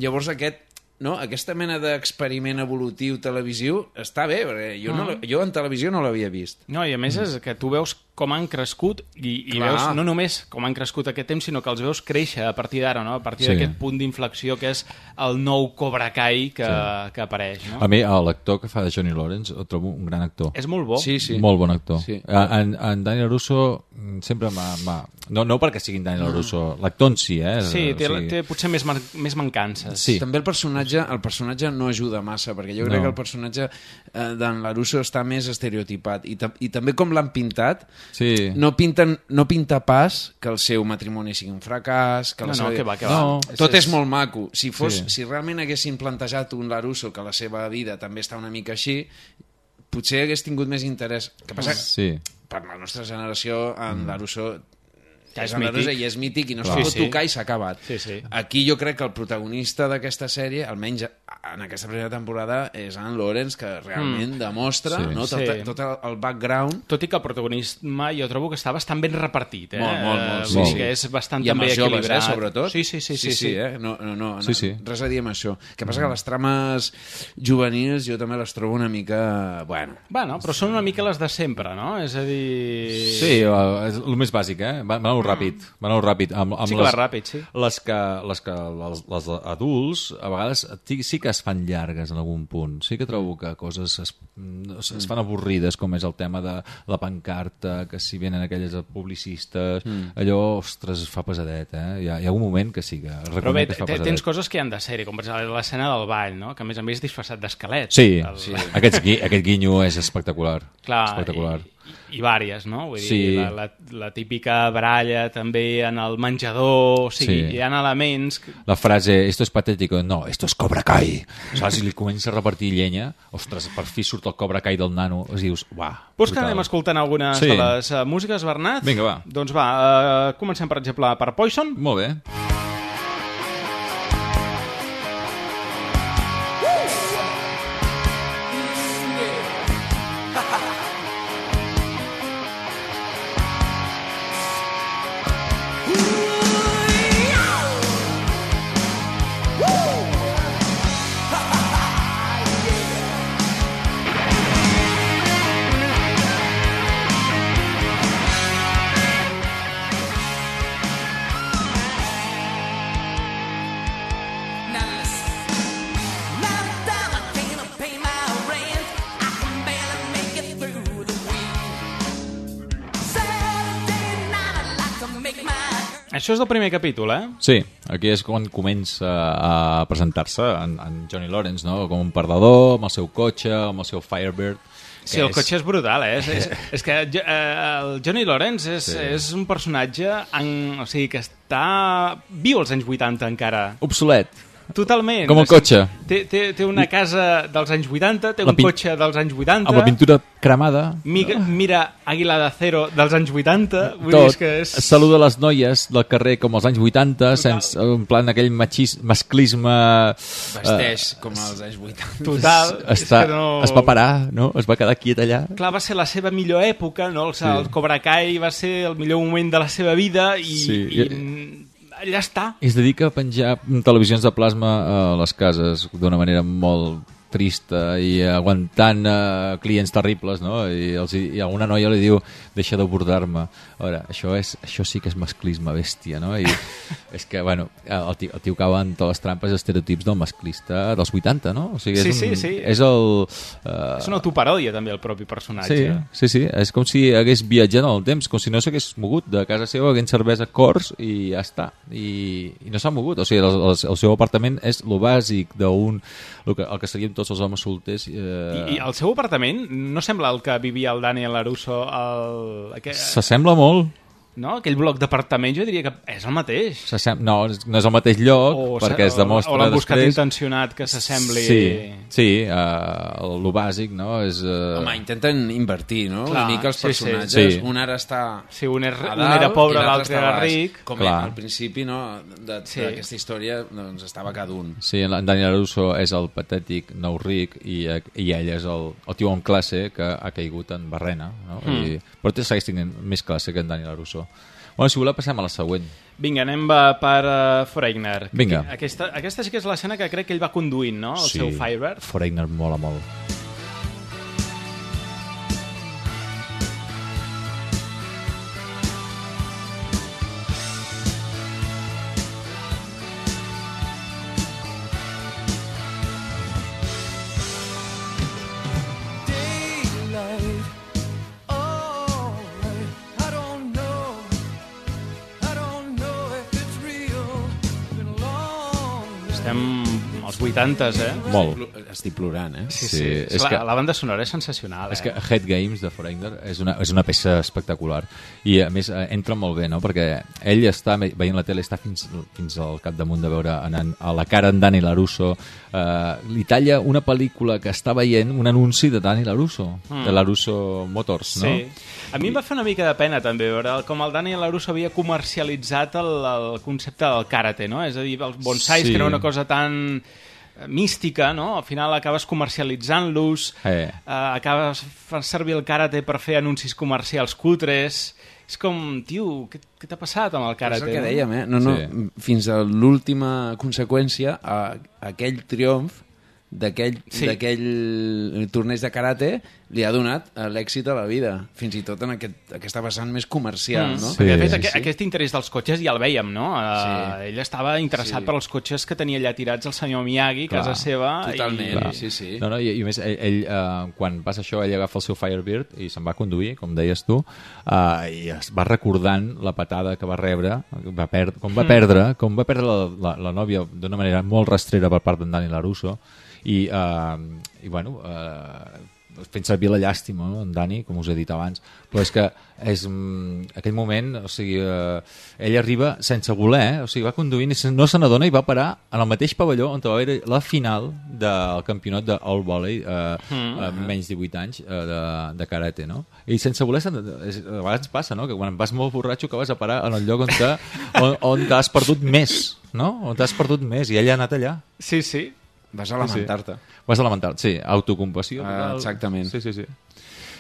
Llavors aquesta mena d'experiment evolutiu televisiu està bé, perquè jo en televisió no l'havia vist. No, i a més és que tu veus com han crescut i veus no només com han crescut aquest temps, sinó que els veus créixer a partir d'ara, no? A partir d'aquest punt d'inflexió que és el nou Cobra Kai que apareix. No? A mi, l'actor que fa de Johnny Lawrence el trobo un gran actor. És molt bo. Molt bon actor. En Daniel LaRusso sempre m'ha... No perquè sigui en Daniel LaRusso, l'actor en si, Sí, té potser més mancances. També el personatge no ajuda massa, perquè jo crec que el personatge d'en LaRusso està més estereotipat. I també com l'han pintat, no pinta pas que el seu matrimoni sigui un fracàs, que tot és molt maco. Si realment haguessin plantejat un LaRusso que la seva vida també està una mica així, potser hagués tingut més interès. Que passa per la nostra generació en LaRusso és mític i no es pot tocar i s'ha acabat. Aquí jo crec que el protagonista d'aquesta sèrie, almenys en aquesta primera temporada, és en Lawrence, que realment demostra tot el background. Tot i que el protagonisme jo trobo que està bastant ben repartit. Molt. Que és bastant també equilibrat. I amb els joves, sobretot. Sí. Res a dir amb això. El que passa que les trames juvenils jo també les trobo una mica... Bueno, però són una mica les de sempre, no? És a dir... Sí, és el més bàsic, Va anar ràpid. Sí que va ràpid, sí. Les adults, a vegades, sí que es fan llargues en algun punt. Sí que trobo que coses es fan avorrides, com és el tema de la pancarta, que si venen aquelles publicistes, allò, ostres, fa pesadet, Hi ha un moment que sí, que reconec que fa pesadet. Tens coses que han de ser, com per exemple l'escena del ball, no? Que a més és disfressat d'esquelet. Sí. Aquest guinyo és espectacular. Clar, i vàries, no? Vull dir, la típica baralla també en el menjador, hi ha elements... La frase, esto es patético, no, esto es Cobra Kai. Saps? Si li comença a repartir llenya, ostres, per fi surt el Cobra Kai del nano, dius, uah. Vols que anem escoltant algunes de les músiques, Bernat? Vinga, va. Doncs va, comencem, per exemple, per Poison. Molt bé. Això és del primer capítol, eh? Sí, aquí és quan comença a presentar-se en Johnny Lawrence, no? Com un perdedor, amb el seu cotxe, amb el seu Firebird. Sí, el cotxe és brutal, eh? És que el Johnny Lawrence és un personatge o sigui, que està viu als anys 80 encara. Obsolet. Totalment. Com el cotxe. Té una casa dels anys 80, té un cotxe dels anys 80. Amb la pintura cremada. Mira Águila de Acero dels anys 80. Vull Tot. dir que és... Saluda les noies del carrer com als anys 80, sense, en plan aquell masclisme... Vesteix com als anys 80. Total. Es va parar, no? Es va quedar quiet allà. Clar, va ser la seva millor època, no? El Cobra Kai va ser el millor moment de la seva vida i allà està. I es dedica a penjar televisions de plasma a les cases d'una manera molt trista i aguantant clients terribles, no? I alguna noia li diu deixa d'abordar-me. A veure, això sí que és masclisme bèstia, no? I és que, bueno, el tio cau en totes les trampes i estereotips del masclista dels 80, no? O sigui, sí. És el... És una autoparòdia, també, el propi personatge. Sí. És com si hagués viatjat en el temps, com si no s'hagués mogut de casa seva, haguent cervesa Cors i ja està. I no s'ha mogut. O sigui, el seu apartament és lo bàsic d'un... el que seríem tots els homes solters. I el seu apartament no sembla el que vivia el Daniel LaRusso s'assembla molt. No? Aquell bloc d'apartaments jo diria que és el mateix. No és el mateix lloc, perquè es demostra o l'han buscat després... intencionat que s'assembli... Sí, lo bàsic, no? És, Home, intenten invertir, no? Una mica els personatges. Sí. Un ara està un era pobre, l'altre era ric. Com al principi, no? D'aquesta història doncs, estava cada un. Sí, en Daniel LaRusso és el patètic nou ric i ell és el tio en classe que ha caigut en barrena, no? Però segueix tenint més classe que en Daniel LaRusso. Bueno, si voleu passem a la següent. Vinga, anem per Foreigner. Vinga. Aquesta sí que és l'escena que crec que ell va conduint, no? El seu Firebird. Foreigner mola molt. Als 80s, Molt. Estic plorant, Sí. La banda sonora és sensacional. És que Head Games de Foreigner és una peça espectacular. I, a més, entra molt bé, no? Perquè ell està veient la tele, està fins al capdamunt de veure anant a la cara en Dani LaRusso. Li talla una pel·lícula que està veient, un anunci de Dani LaRusso, de LaRusso Motors, no? Sí. A mi em va fer una mica de pena, també, veure com el Dani LaRusso havia comercialitzat el concepte del karate, no? És a dir, els bonsais, que era una cosa tan mística, no? Al final acabes comercialitzant-los, acabes fent servir el karate per fer anuncis comercials cutres. És com, tio, què t'ha passat amb el karate? És el que dèiem, no, fins a l'última conseqüència, aquell triomf d'aquell torneig de karate li ha donat l'èxit a la vida, fins i tot en aquesta vessant més comercial, no? Perquè, de fet, aquest interès dels cotxes ja el veiem, no? Ell estava interessat per als cotxes que tenia allà tirats el senyor Miyagi, casa seva. Totalment, sí. No, i a més, ell, quan passa això, ell agafa el seu Firebird i se'n va conduir, com deies tu, i es va recordant la patada que va rebre, com va perdre la nòvia d'una manera molt rastrera per part d'en Dani LaRusso, i bueno, fent servir la llàstima, no? En Dani, com us he dit abans, però és que és aquell moment, o sigui, ell arriba sense voler, o sigui, va conduint i no se n'adona i va parar en el mateix pavelló on va haver la final del campionat de All Volley menys 18 anys de karate, no? I sense voler, a vegades passa, no? Que quan vas molt borratxo que vas a parar en el lloc on t'has perdut més, no? On t'has perdut més, i ell ha anat allà. Sí. Vas a lamentar-te. Vas a lamentar-te, sí. Autocompassió. Exactament. Sí.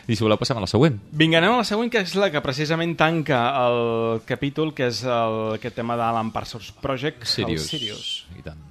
I si voleu passem a la següent. Vinga, anem a la següent, que és la que precisament tanca el capítol, que és aquest tema d'Alan Parsons Project, el Sirius. I tant.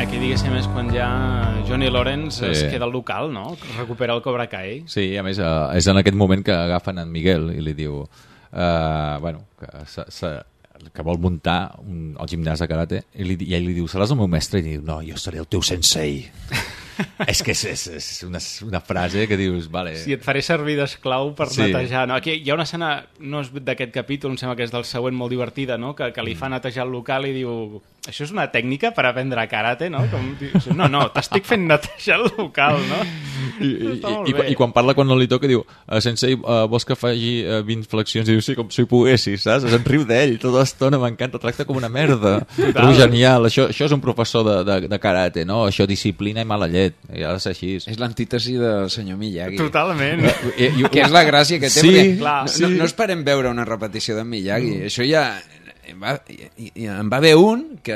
Aquí, diguéssim, és quan ja Johnny Lawrence es queda al local, no? Recupera el Cobra Kai. Sí, a més, és en aquest moment que agafen en Miguel i li diu que vol muntar el gimnàs de karate i ell li diu, seràs el meu mestre? I diu, no, jo seré el teu sensei. És que és una frase que dius, vale... Sí, et faré servir d'esclau per netejar. No, aquí hi ha una escena, no és d'aquest capítol, em sembla que és del següent, molt divertida, no? Que li fa netejar el local i diu, això és una tècnica per aprendre karate, no? No, t'estic fent netejar el local, no? I quan parla, quan no li toca, diu, sensei, vols que faci 20 flexions? I diu, sí, com si ho poguessis, saps? Se'n riu d'ell tota l'estona, m'encanta, tracta com una merda. Però genial, això és un professor de karate, no? Això disciplina i mala llet. I ha de ser així. És l'antítesi del senyor Miyagi. Totalment. Que és la gràcia que té, sí, perquè no esperem veure una repetició d'en Miyagi. Això ja... En va haver un que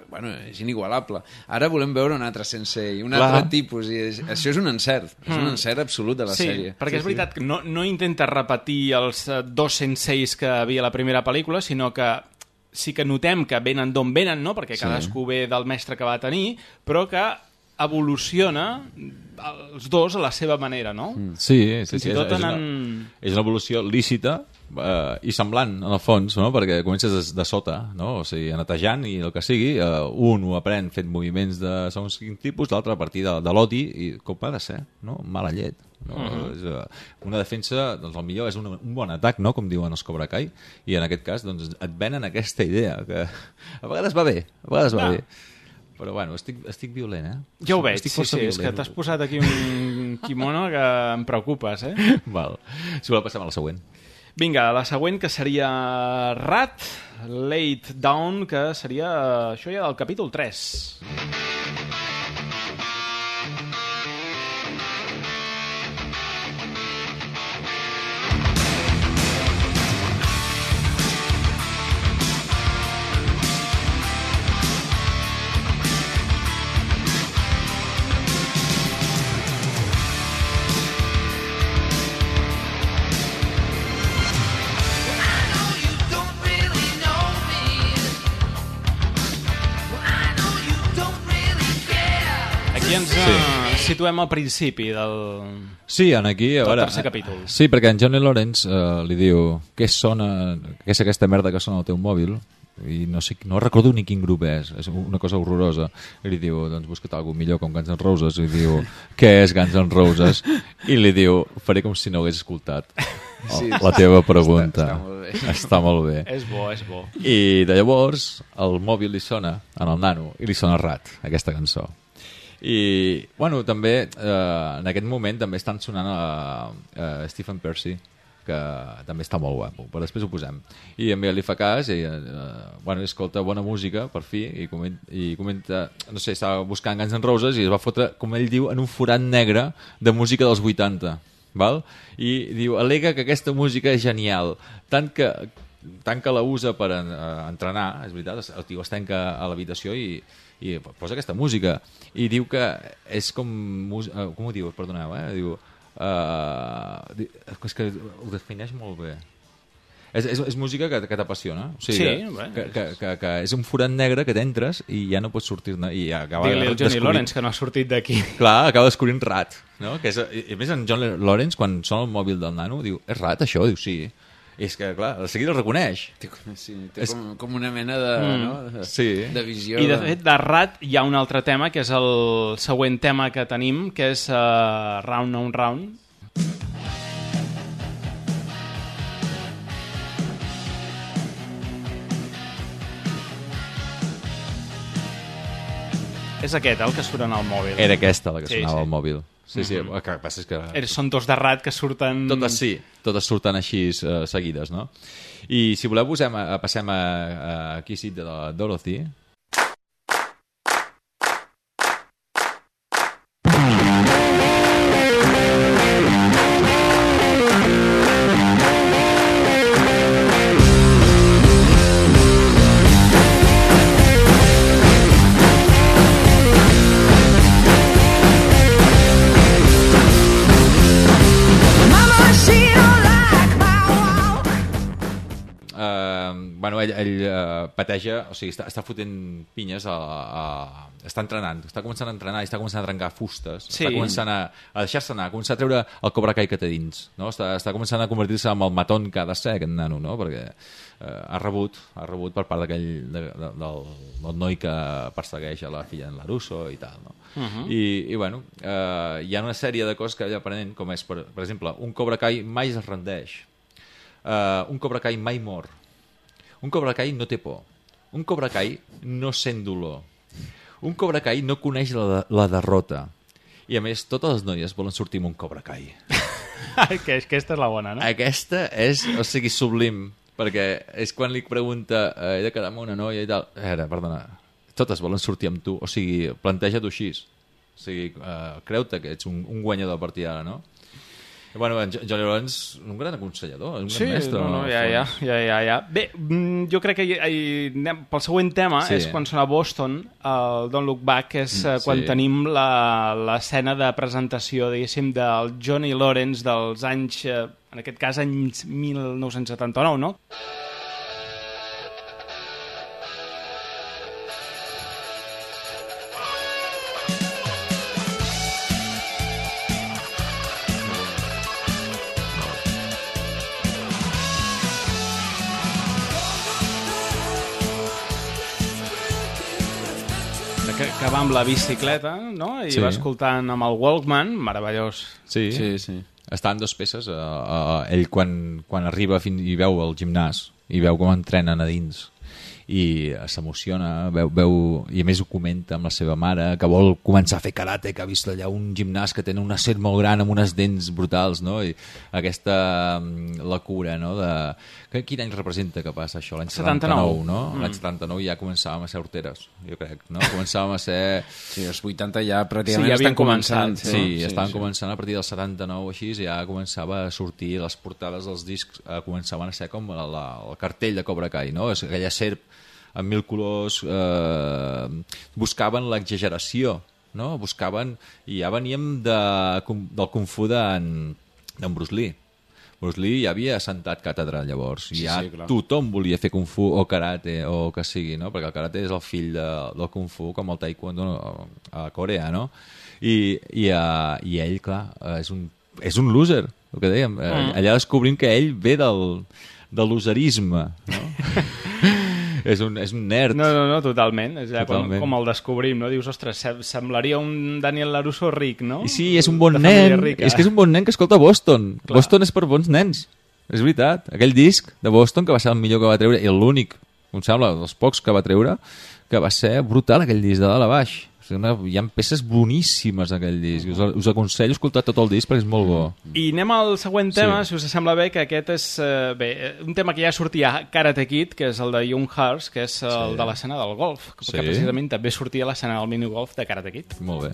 bueno, és inigualable. Ara volem veure un altre sensei, un altre tipus, i això és un encert. És un encert absolut de la sèrie. Sí, perquè és veritat que no intenta repetir els dos senseis que havia a la primera pel·lícula, sinó que sí que notem que venen d'on venen, no? Perquè cadascú ve del mestre que va tenir, però que evoluciona els dos a la seva manera, no? Sí. És una evolució lícita i semblant, en el fons, no? Perquè comences de sota, no? O sigui, netejant i el que sigui, un ho aprèn fent moviments de segons quin tipus, l'altre a partir de l'odi, i com ha de ser, no? Mala llet. No? Una defensa, doncs el millor és un bon atac, no? Com diuen els Cobra Kai, i en aquest cas doncs, et venen aquesta idea que a vegades va bé, però bueno, estic violent, eh? Ja ho veig, sí, és que t'has posat aquí un kimono que em preocupes, eh? Val. Si voleu passem a la següent. Vinga, la següent, que seria Rat, Late Down, que seria això ja del capítol 3. Situem al principi del... Sí, aquí, a veure, tercer capítol. Sí, perquè en Johnny Lawrence li diu què és aquesta merda que sona al teu mòbil, i no recordo ni quin grup és una cosa horrorosa, i li diu, doncs busca't alguna millor com Guns N' Roses, i diu, què és Guns N' Roses? I li diu, faré com si no hagués escoltat la teva pregunta. Està molt bé. És bo. I de llavors el mòbil li sona en el nano i li sona Rat, aquesta cançó. I, bueno, també en aquest moment també estan sonant a Stephen Percy, que també està molt guapo, però després ho posem. I en Miguel li fa cas i bueno, escolta bona música, per fi, i comenta, no sé, estava buscant Guns N' Roses i es va fotre, com ell diu, en un forat negre de música dels 80, val? I diu, al·lega que aquesta música és genial, tant que la usa per entrenar, és veritat, el tio es tanca a l'habitació i posa aquesta música i diu que és com ho diu? Perdoneu, diu és que ho defineix molt bé. És música que t'apassiona, o sigui, que és un forat negre que t'entres i ja no pots sortir-ne. Digue-li al Johnny Lawrence que no ha sortit d'aquí. Clar, acaba descobrint Rat, no? Que a més en Johnny Lawrence, quan sona el mòbil del nano, diu, és Rat això? Diu, sí. I és que, clar, de seguida el reconeix. Sí, té com una mena de visió. I, de fet, de Rat hi ha un altre tema, que és el següent tema que tenim, que és Round on Round. És aquest, el que surt en el mòbil. Era aquesta la que sonava al mòbil. Sí, el que passa és que... Són dos de Rat que surten... Totes surten així seguides, no? I si voleu passem a Kiss It de la Dorothy. ell pateja, o sigui, està fotent pinyes està entrenant, està començant a entrenar i està començant a trencar fustes, està començant a deixar-se anar, a començar a treure el Cobra Kai que té dins, no? Està començant a convertir-se en el matón que ha de ser aquest nano, no? Perquè ha rebut per part del noi que persegueix a la filla en Larusso i tal, no? I bueno, hi ha una sèrie de coses que ell aprenent, com és, per exemple, un Cobra Kai mai es rendeix, un Cobra Kai mai mor, un Cobra Kai no té por, un Cobra Kai no sent dolor, un Cobra Kai no coneix la derrota, i a més totes les noies volen sortir amb un Cobra Kai. Aquesta és la bona, no? Aquesta és, o sigui, sublim, perquè és quan li pregunta he de quedar amb una noia i tal, perdona, totes volen sortir amb tu, o sigui, planteja-t'ho així, o sigui, creu-te que ets un guanyador a partir d'ara, no? Bueno, en Johnny Lawrence, un gran aconsellador, un gran mestre. Ja. Bé, jo crec que pel següent tema és quan sona Boston, el Don't Look Back, que és quan tenim l'escena de presentació, diguéssim, del Johnny Lawrence dels anys, en aquest cas, anys 1979, no? Que va amb la bicicleta, no? I va escoltant amb el Walkman, meravellós. Sí. Està en 2 peces. Ell quan arriba i veu el gimnàs i veu com entrenen a dins i s'emociona, veu i a més ho comenta amb la seva mare, que vol començar a fer karate, que ha vist allà un gimnàs que té una serp molt gran amb unes dents brutals, no? I aquesta la cura, no? Quin any representa que passa això? L'any 79, no? L'any 79 ja començàvem a ser horteres, jo crec, no? Començàvem a ser... Sí, els 80 ja pràcticament estan començant. Sí, estaven començant a partir del 79 o així, ja començava a sortir les portades dels discs, començaven a ser com el cartell de Cobra Kai, no? És aquella serp amb 1000 colors, buscaven l'exageració, no? Buscaven, i ja veníem del Kung Fu d'en Bruce Lee. Bruce Lee ja havia assentat càtedra llavors, i ja tothom volia fer Kung Fu o karate o que sigui, no? Perquè el karate és el fill del Kung Fu, com el taekwondo a Corea, no? I ell, clar, és un loser, el que dèiem. Allà descobrim que ell ve del loserisme, no? És un nerd. No, totalment. És com el descobrim, no? Dius, ostres, semblaria un Daniel LaRusso ric, no? I sí, és un bon nen. És que és un bon nen que escolta Boston. Clar. Boston és per bons nens. És veritat. Aquell disc de Boston, que va ser el millor que va treure, i l'únic, em sembla, dels pocs que va treure, que va ser brutal, aquell disc de dalt a baix. Hi ha peces boníssimes en aquell disc. Us aconsello escoltar tot el disc perquè és molt bo. I anem al següent tema, si us sembla bé, que aquest és un tema que ja sortia a Karate Kid, que és el de Young Hearts, que és el de l'escena del golf, que precisament també sortia a l'escena del minigolf de Karate Kid. Molt bé.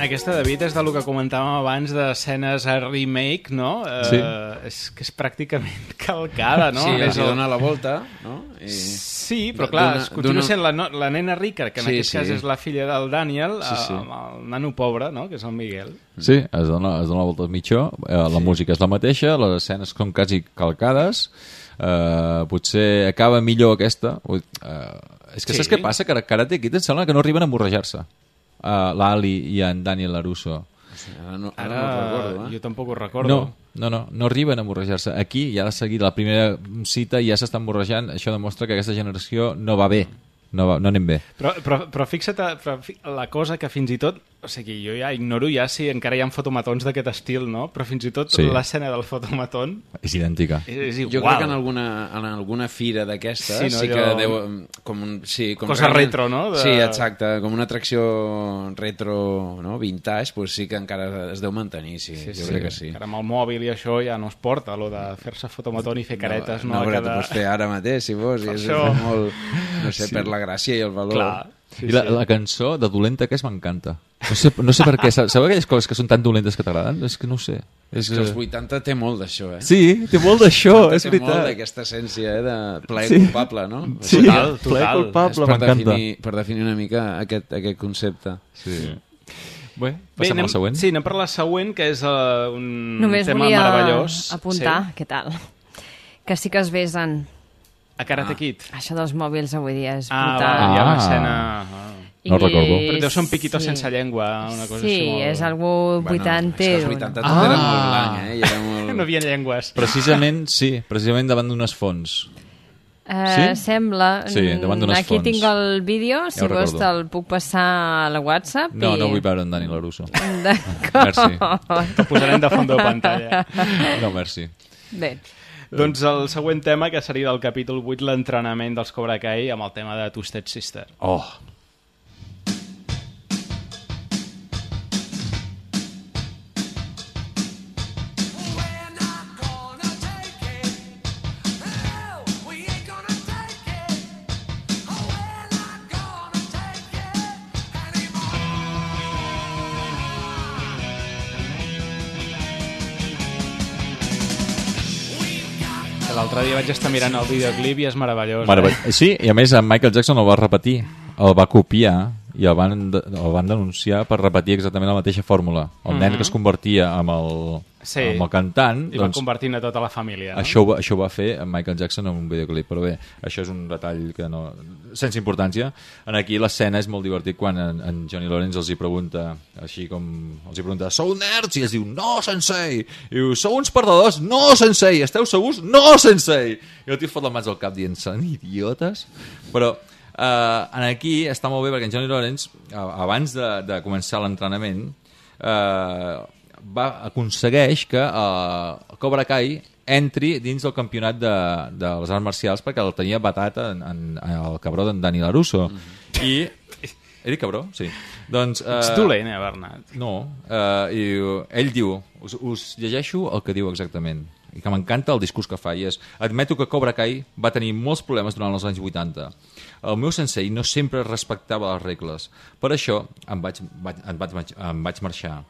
Aquesta, David, és del que comentàvem abans d'escenes a remake, no? Sí. És que és pràcticament calcada, no? Sí, els dona la volta, no? Sí, però clar, continua sent la nena rica, que en aquest cas és la filla del Daniel, amb el nano pobre, no? Que és el Miguel. Sí, es dona la volta al mitjó, la música és la mateixa, les escenes són quasi calcades, potser acaba millor aquesta. És que saps què passa? Que Karate Kid em sembla que no arriben a morrejar-se. l'Ali i en Daniel LaRusso. Ara no ho recordo, jo tampoc ho recordo. No arriben a morrejar-se. Aquí, ja de seguida, la primera cita ja s'estan morrejant. Això demostra que aquesta generació no va bé. No anem bé. Però fixa't la cosa que fins i tot, o sigui, jo ja ignoro ja si encara hi ha fotomatons d'aquest estil, no? Però fins i tot l'escena del fotomaton és idèntica. És igual. Jo crec que en alguna fira d'aquestes sí que deu... com cosa retro, no? Sí, exacte, com una atracció retro, no? Vintage, doncs sí que encara es deu mantenir, sí. Jo crec que sí. Encara amb el mòbil i això ja no es porta, allò de fer-se fotomaton i fer caretes. No, però t'ho pots fer ara mateix, si vols, i és molt, no sé, per la gràcia i el valor. Clar. I la cançó de dolenta que és m'encanta. No sé per què. Sabeu aquelles coses que són tan dolentes que t'agraden? És que no ho sé. És que els 80 té molt d'això, Sí, té molt d'això, és veritat. Té molt d'aquesta essència, de plaer culpable, no? Sí, plaer culpable, m'encanta. Per definir una mica aquest concepte. Sí. Bé, passem a la següent. Sí, anem per la següent, que és un Només tema meravellós. Només volia apuntar, què tal? Que sí que es besen. A Karate Kid. Això dels mòbils avui dia és brutal. Hi ha una escena... No recordo. Però deu ser un piquito sense llengua, una cosa així molt... Sí, és algú 80. Els 80 tot era molt blanc, Era molt... No hi havia llengües. Precisament davant d'unes fonts. Sembla. Sí, davant d'unes fonts. Aquí tinc el vídeo, si vols te'l puc passar a la WhatsApp. No vull veure en Dani Larusso. D'acord. Merci. Te'l posarem de fons de pantalla. No, merci. Bé. Doncs el següent tema, que seria del capítol 8, l'entrenament dels Cobra Kai, amb el tema de Twisted Sister. Oh! L'altre dia vaig estar mirant el videoclip i és meravellós. Sí, i a més en Michael Jackson el va repetir, el va copiar i el van denunciar per repetir exactament la mateixa fòrmula. El nen que es convertia amb el cantant... I va convertint a tota la família. No? Això ho va fer en Michael Jackson en un videoclip, però bé, això és un detall que no... sense importància. Aquí l'escena és molt divertit quan en Johnny Lawrence els hi pregunta, així com... els hi pregunta, sou nerds? I ells diu, no, sensei! I diu, sou uns perdedors? No, sensei! Esteu segurs? No, sensei! I el tio fot les mans al cap dient, són idiotes? Però... aquí està molt bé perquè en Johnny Lawrence abans de començar l'entrenament aconsegueix que el Cobra Kai entri dins del campionat de les arts marcials perquè el tenia batat el cabró d'en Dani Larusso i era cabró? Sí. Doncs, ets dolent, Bernat? No. I ell diu, us llegeixo el que diu exactament i que m'encanta el discurs que fa i és, admeto que Cobra Kai va tenir molts problemes durant els anys 80. El meu sensei no sempre respectava les regles. Per això em vaig marxar.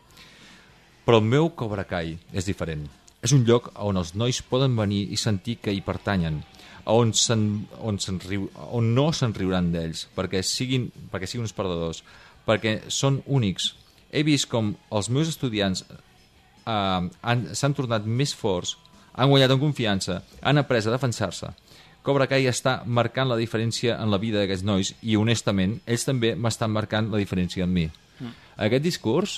Però el meu Cobra Kai és diferent. És un lloc on els nois poden venir i sentir que hi pertanyen, on no se'n riuran d'ells, perquè siguin uns perdedors, perquè són únics. He vist com els meus estudiants s'han tornat més forts, han guanyat en confiança, han après a defensar-se. Cobra Kai està marcant la diferència en la vida d'aquests nois i, honestament, ells també m'estan marcant la diferència en mi. Aquest discurs,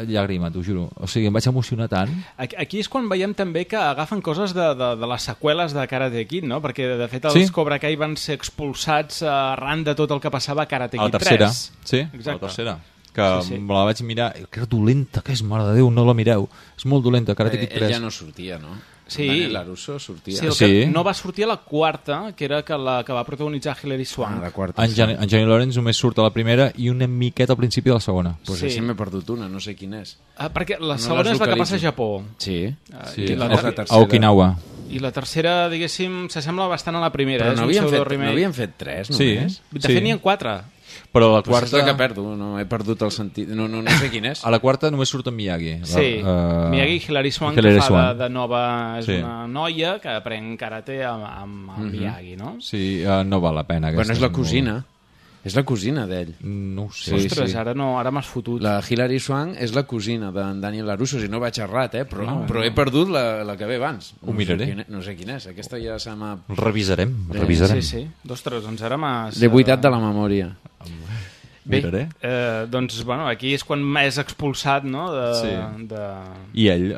llàgrima, t'ho juro. O sigui, em vaig emocionar tant. Aquí és quan veiem també que agafen coses de les seqüeles de Karate Kid, no? Perquè, de fet, els Cobra Kai van ser expulsats arran de tot el que passava a Karate Kid 3. A la tercera, sí, a la tercera. Que me la vaig mirar, que era dolenta, que és, mare de Déu, no la mireu. És molt dolenta, Karate Kid 3. Ell ja no sortia, no? Sí. Daniel Larusso sortia. Sí, el que no va sortir a la quarta, que era la que va protagonitzar Hilary Swank. La quarta, en Johnny Lawrence només surt a la primera i una miqueta al principi de la segona. Pues així m'he perdut una, no sé quina és. Perquè la segona és la que passa a Japó. Sí. A Okinawa. I la tercera, diguéssim, s'assembla bastant a la primera. Però no havien fet 3 només? Sí. De fet, n'hi ha 4. Però la quarta... Pues és la que perdo, no he perdut el sentit. No sé quin és. A la quarta només surt en Miyagi. Sí, Miyagi i Hilary Swank, que fa de nova... És una noia que aprèn karate amb Miyagi, no? Sí, no val la pena. Bueno, és la cosina. És la cosina d'ell. No ho sé. Ostres, ara m'has fotut. La Hilary Swank és la cosina d'en Daniel Larusso, si no vaig errat, però he perdut la que ve abans. Ho miraré. No sé quina és, aquesta ja se m'ha... Revisarem. Sí. Ostres, doncs ara m'has... L'he buidat de la memòria. Bé, doncs, bueno, aquí és quan és expulsat, no? I ell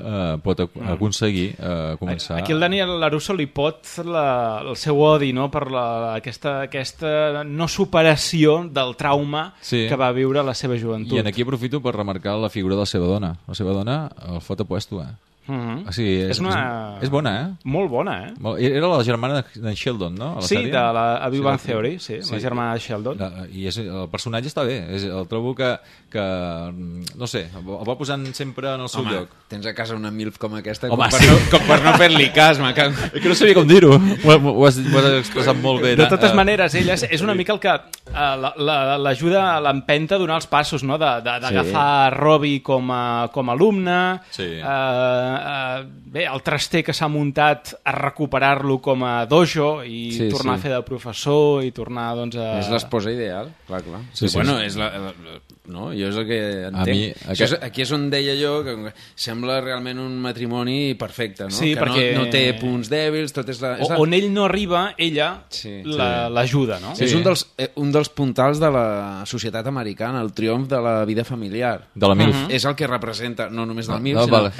pot aconseguir començar... Aquí el Daniel Larusso li pot el seu odi, no?, per aquesta no superació del trauma que va viure a la seva joventut. I aquí aprofito per remarcar la figura de la seva dona. La seva dona el fot apuesto, O sigui, és bona, Molt bona, Era la germana d'en Sheldon, no? Sí, de la Big Bang Theory, sí, la germana de Sheldon. I el personatge està bé. El trobo que no sé, el va posant sempre en el seu lloc. Tens a casa una MILF com aquesta com per no fer-li cas, És que no sabia com dir-ho. Ho has expressat molt bé. De totes maneres, ella és una mica el que l'ajuda a l'empenta a donar els passos, no? D'agafar Robbie com a alumne, bé, el traster que s'ha muntat a recuperar-lo com a dojo i tornar a fer de professor i tornar, doncs, a... És l'esposa ideal, clar. Bueno, és no, jo és el que entenc. Aquí és on deia jo que sembla realment un matrimoni perfecte, no? Que perquè... no té punts dèbils, tot és on ell no arriba, ella l'ajuda, no? És un dels puntals de la societat americana, el triomf de la vida familiar. De la MILF. És el que representa, no només del MILF, sinó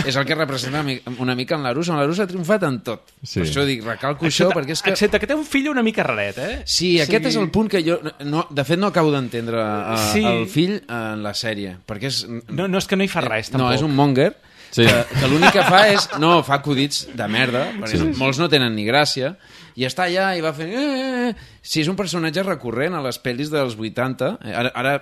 és el que representa una mica en l'Aruso. En l'Aruso ha triomfat en tot. Per això dic, recalco això, perquè és que... Excepte que té un fill una mica raret, Sí, aquest és el punt que jo... De fet, no acabo d'entendre el fill en la sèrie, perquè és... No, és que no hi fa res, tampoc. No, és un monger, que l'únic que fa és... No, fa acudits de merda, perquè molts no tenen ni gràcia, i està allà i va fent... Sí, és un personatge recurrent a les pel·lis dels 80. Ara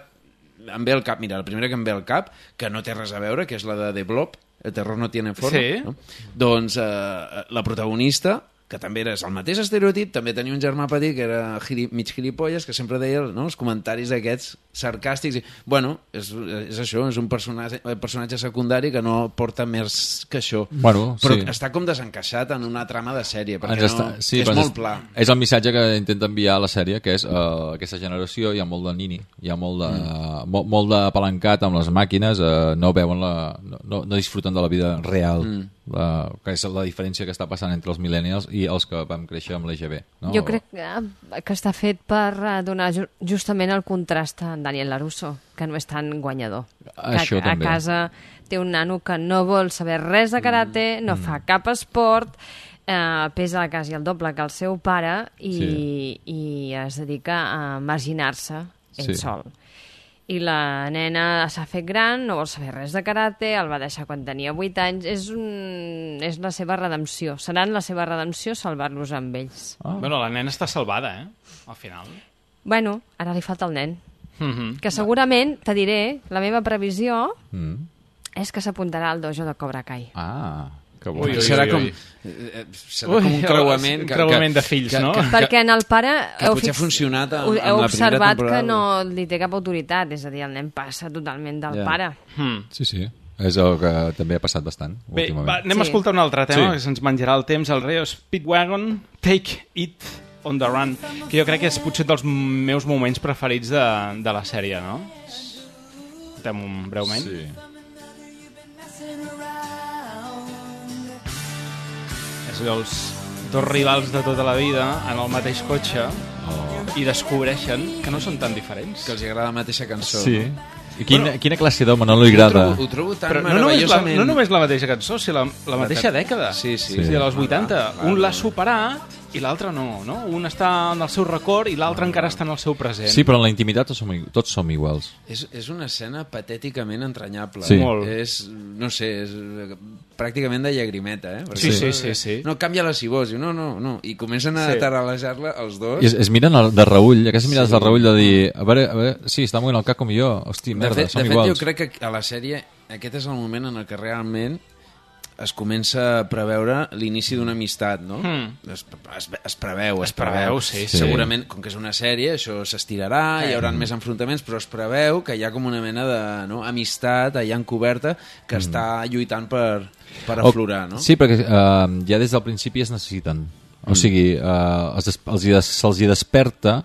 em ve al cap, mira, la primera que em ve al cap, que no té res a veure, que és la de The Blob, El terror no tiene forma. No? Doncs la protagonista, que també era el mateix estereotip, també tenia un germà petit que era mig gilipolles, que sempre deia els comentaris aquests sarcàstics. Bueno, és això, és un personatge secundari que no porta més que això. Però està com desencaixat en una trama de sèrie, perquè és molt pla. És el missatge que intenta enviar a la sèrie, que és aquesta generació hi ha molt de nini, hi ha molt d'apalancat amb les màquines, no veuen no disfruten de la vida real. Que és la diferència que està passant entre els millennials i els que vam créixer amb l'EGB. No? Jo crec que està fet per donar justament el contrast a Daniel LaRusso, que no és tan guanyador. Això a casa té un nano que no vol saber res de karate, no fa cap esport, pesa quasi el doble que el seu pare i es dedica a marginar-se ell sol. I la nena s'ha fet gran, no vol saber res de karate, el va deixar quan tenia 8 anys. És la seva redempció. Seran la seva redempció salvar-los amb ells. Bueno, la nena està salvada, al final. Bueno, ara li falta el nen. Que segurament, te diré, la meva previsió és que s'apuntarà al dojo de Cobra Kai. Serà com un creuament de fills, no? Perquè en el pare potser ha funcionat heu observat que no li té cap autoritat, és a dir, el nen passa totalment del pare. Sí, és el que també ha passat bastant. Bé, anem a escoltar un altre tema que se'ns menjarà el temps, el Reo Speedwagon, Take It on the Run, que jo crec que és potser dels meus moments preferits de la sèrie, no? Escoltem breument. Sí. Els dos rivals de tota la vida en el mateix cotxe i descobreixen que no són tan diferents. Que els agrada la mateixa cançó. Sí. I quina classe d'home no li agrada? Ho trobo tan però meravellosament... No només la mateixa cançó, sinó la mateixa dècada. Sí. De els 80. Un l'ha superat i l'altre no. Un està en el seu record i l'altre encara està en el seu present. Sí, però en la intimitat tots som iguals. És una escena patèticament entranyable. Sí. No sé, és pràcticament de llagrimeta, Sí. No, canvia-la si vols. No. I comencen a taralejar-la els dos. I es miren de reüll, aquestes mirades de reüll de dir, a veure, sí, està movent el cap com jo, hosti, merda, som iguals. De fet, jo crec que a la sèrie aquest és el moment en el que realment es comença a preveure l'inici d'una amistat, no? Es preveu. Sí. Segurament, com que és una sèrie, això s'estirarà, hi haurà més enfrontaments, però es preveu que hi ha com una mena d'amistat allà encoberta que està lluitant per aflorar, no? Sí, perquè ja des del principi es necessiten. O sigui, se'ls hi desperta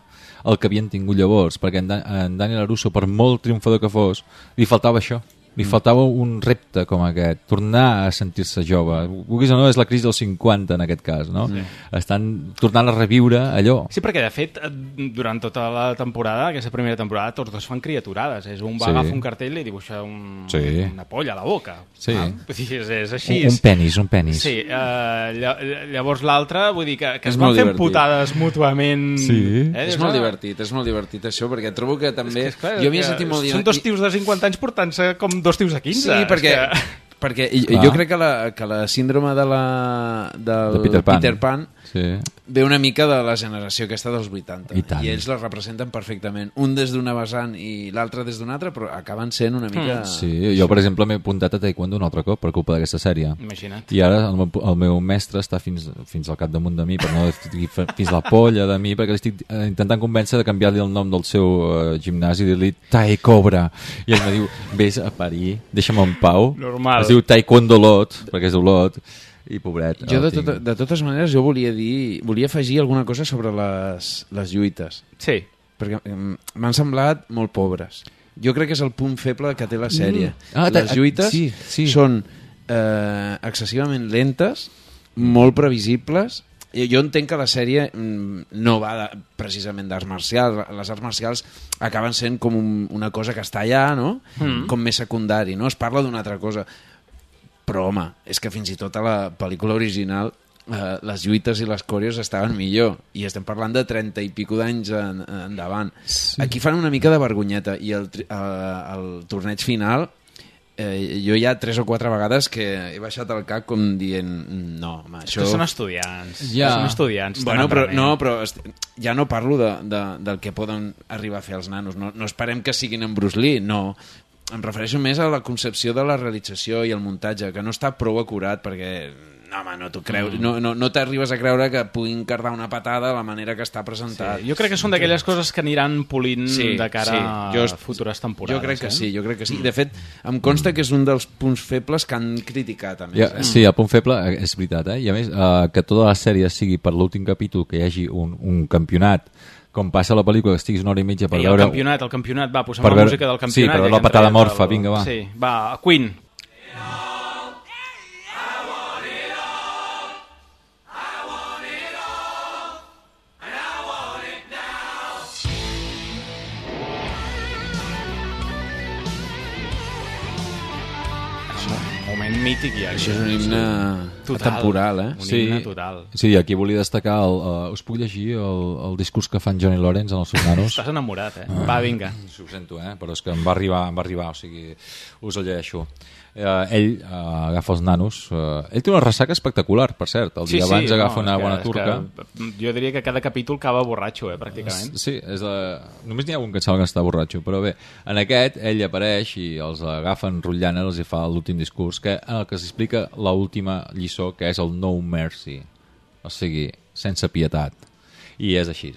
el que havien tingut llavors, perquè en Daniel LaRusso, per molt triomfador que fos, li faltava això. Li faltava un repte com aquest, tornar a sentir-se jove. Vulguis o no, és la crisi dels 50 en aquest cas, no? Estan tornant a reviure allò. Sí, perquè de fet, durant tota la temporada, aquesta primera temporada, tots dos fan criaturades. Un va agafar un cartell i li dibuixa una polla a la boca. Sí. És així. Un penis. Sí, llavors l'altre, vull dir que es van fent putades mútuament. Sí. És molt divertit això, perquè trobo que també... Jo m'hi he sentit molt... Són dos tios de 50 anys portant-se com dos tios de 15. Sí, perquè perquè jo crec que la síndrome del Peter Pan ve una mica de la generació aquesta dels 80 i ells la representen perfectament, un des d'una vessant i l'altre des d'una altra, però acaben sent una mica... Sí, jo per exemple m'he apuntat a taekwondo un altre cop per culpa d'aquesta sèrie. Imagina't. I ara el meu mestre està fins al capdamunt de mi, per no dir fins la polla de mi, perquè l'estic intentant convèncer de canviar-li el nom del seu gimnàs i dir-li Tai Cobra, i ell me diu vés a parir, deixa'm en pau. Normal. Es diu Taekwondo Lot, perquè és Olot, i pobret. Jo de totes maneres jo volia afegir alguna cosa sobre les lluites. Sí. Perquè m'han semblat molt pobres. Jo crec que és el punt feble que té la sèrie. Les lluites són excessivament lentes, molt previsibles. Jo entenc que la sèrie no va precisament d'arts marcials. Les arts marcials acaben sent com una cosa que està allà, no? Com més secundari, no? Es parla d'una altra cosa. Però, home, és que fins i tot a la pel·lícula original les lluites i les coreos estaven millor. I estem parlant de 30 i pico d'anys endavant. Aquí fan una mica de vergonyeta i el torneig final... jo hi ha 3 o 4 vegades que he baixat el cap com dient no, home, això... Són estudiants. Són estudiants. Bueno, però ja no parlo del que poden arribar a fer els nanos. No esperem que siguin en Bruce Lee, no. Em refereixo més a la concepció de la realització i el muntatge, que no està prou acurat perquè... No, home, no t'ho creus. No t'arribes a creure que puguin cardar una patada de la manera que està presentat. Sí, jo crec que són d'aquelles coses que aniran polint de cara a futures temporades. Jo crec que sí. De fet, em consta que és un dels punts febles que han criticat, a més. Sí, el punt feble és veritat, I a més, que tota la sèrie sigui per l'últim capítol que hi hagi un campionat, com passa a la pel·lícula, que estiguis una hora i mitja per veure... El campionat, va, posem la música del campionat. Sí, per veure la patada morfa, vinga, va. Sí, va, Queen. Mític ja. Això és un himne temporal, Un himne total. Sí, aquí volia destacar us puc llegir el discurs que fan Johnny Lawrence en els seus nanos? Estàs enamorat, Va, vinga. Ho sento, però és que em va arribar, o sigui, us el llegeixo. Ell agafa els nanos. Ell té una ressaca espectacular, per cert. El dia abans agafa una bona turca. Jo diria que cada capítol acaba borratxo, pràcticament. Sí, només n'hi ha un que sembla que està borratxo, però bé, en aquest ell apareix i els agafa enrotllant, els hi fa l'últim discurs, en el que s'explica l'última lliçó, que és el No Mercy, o sigui, sense pietat. I és així.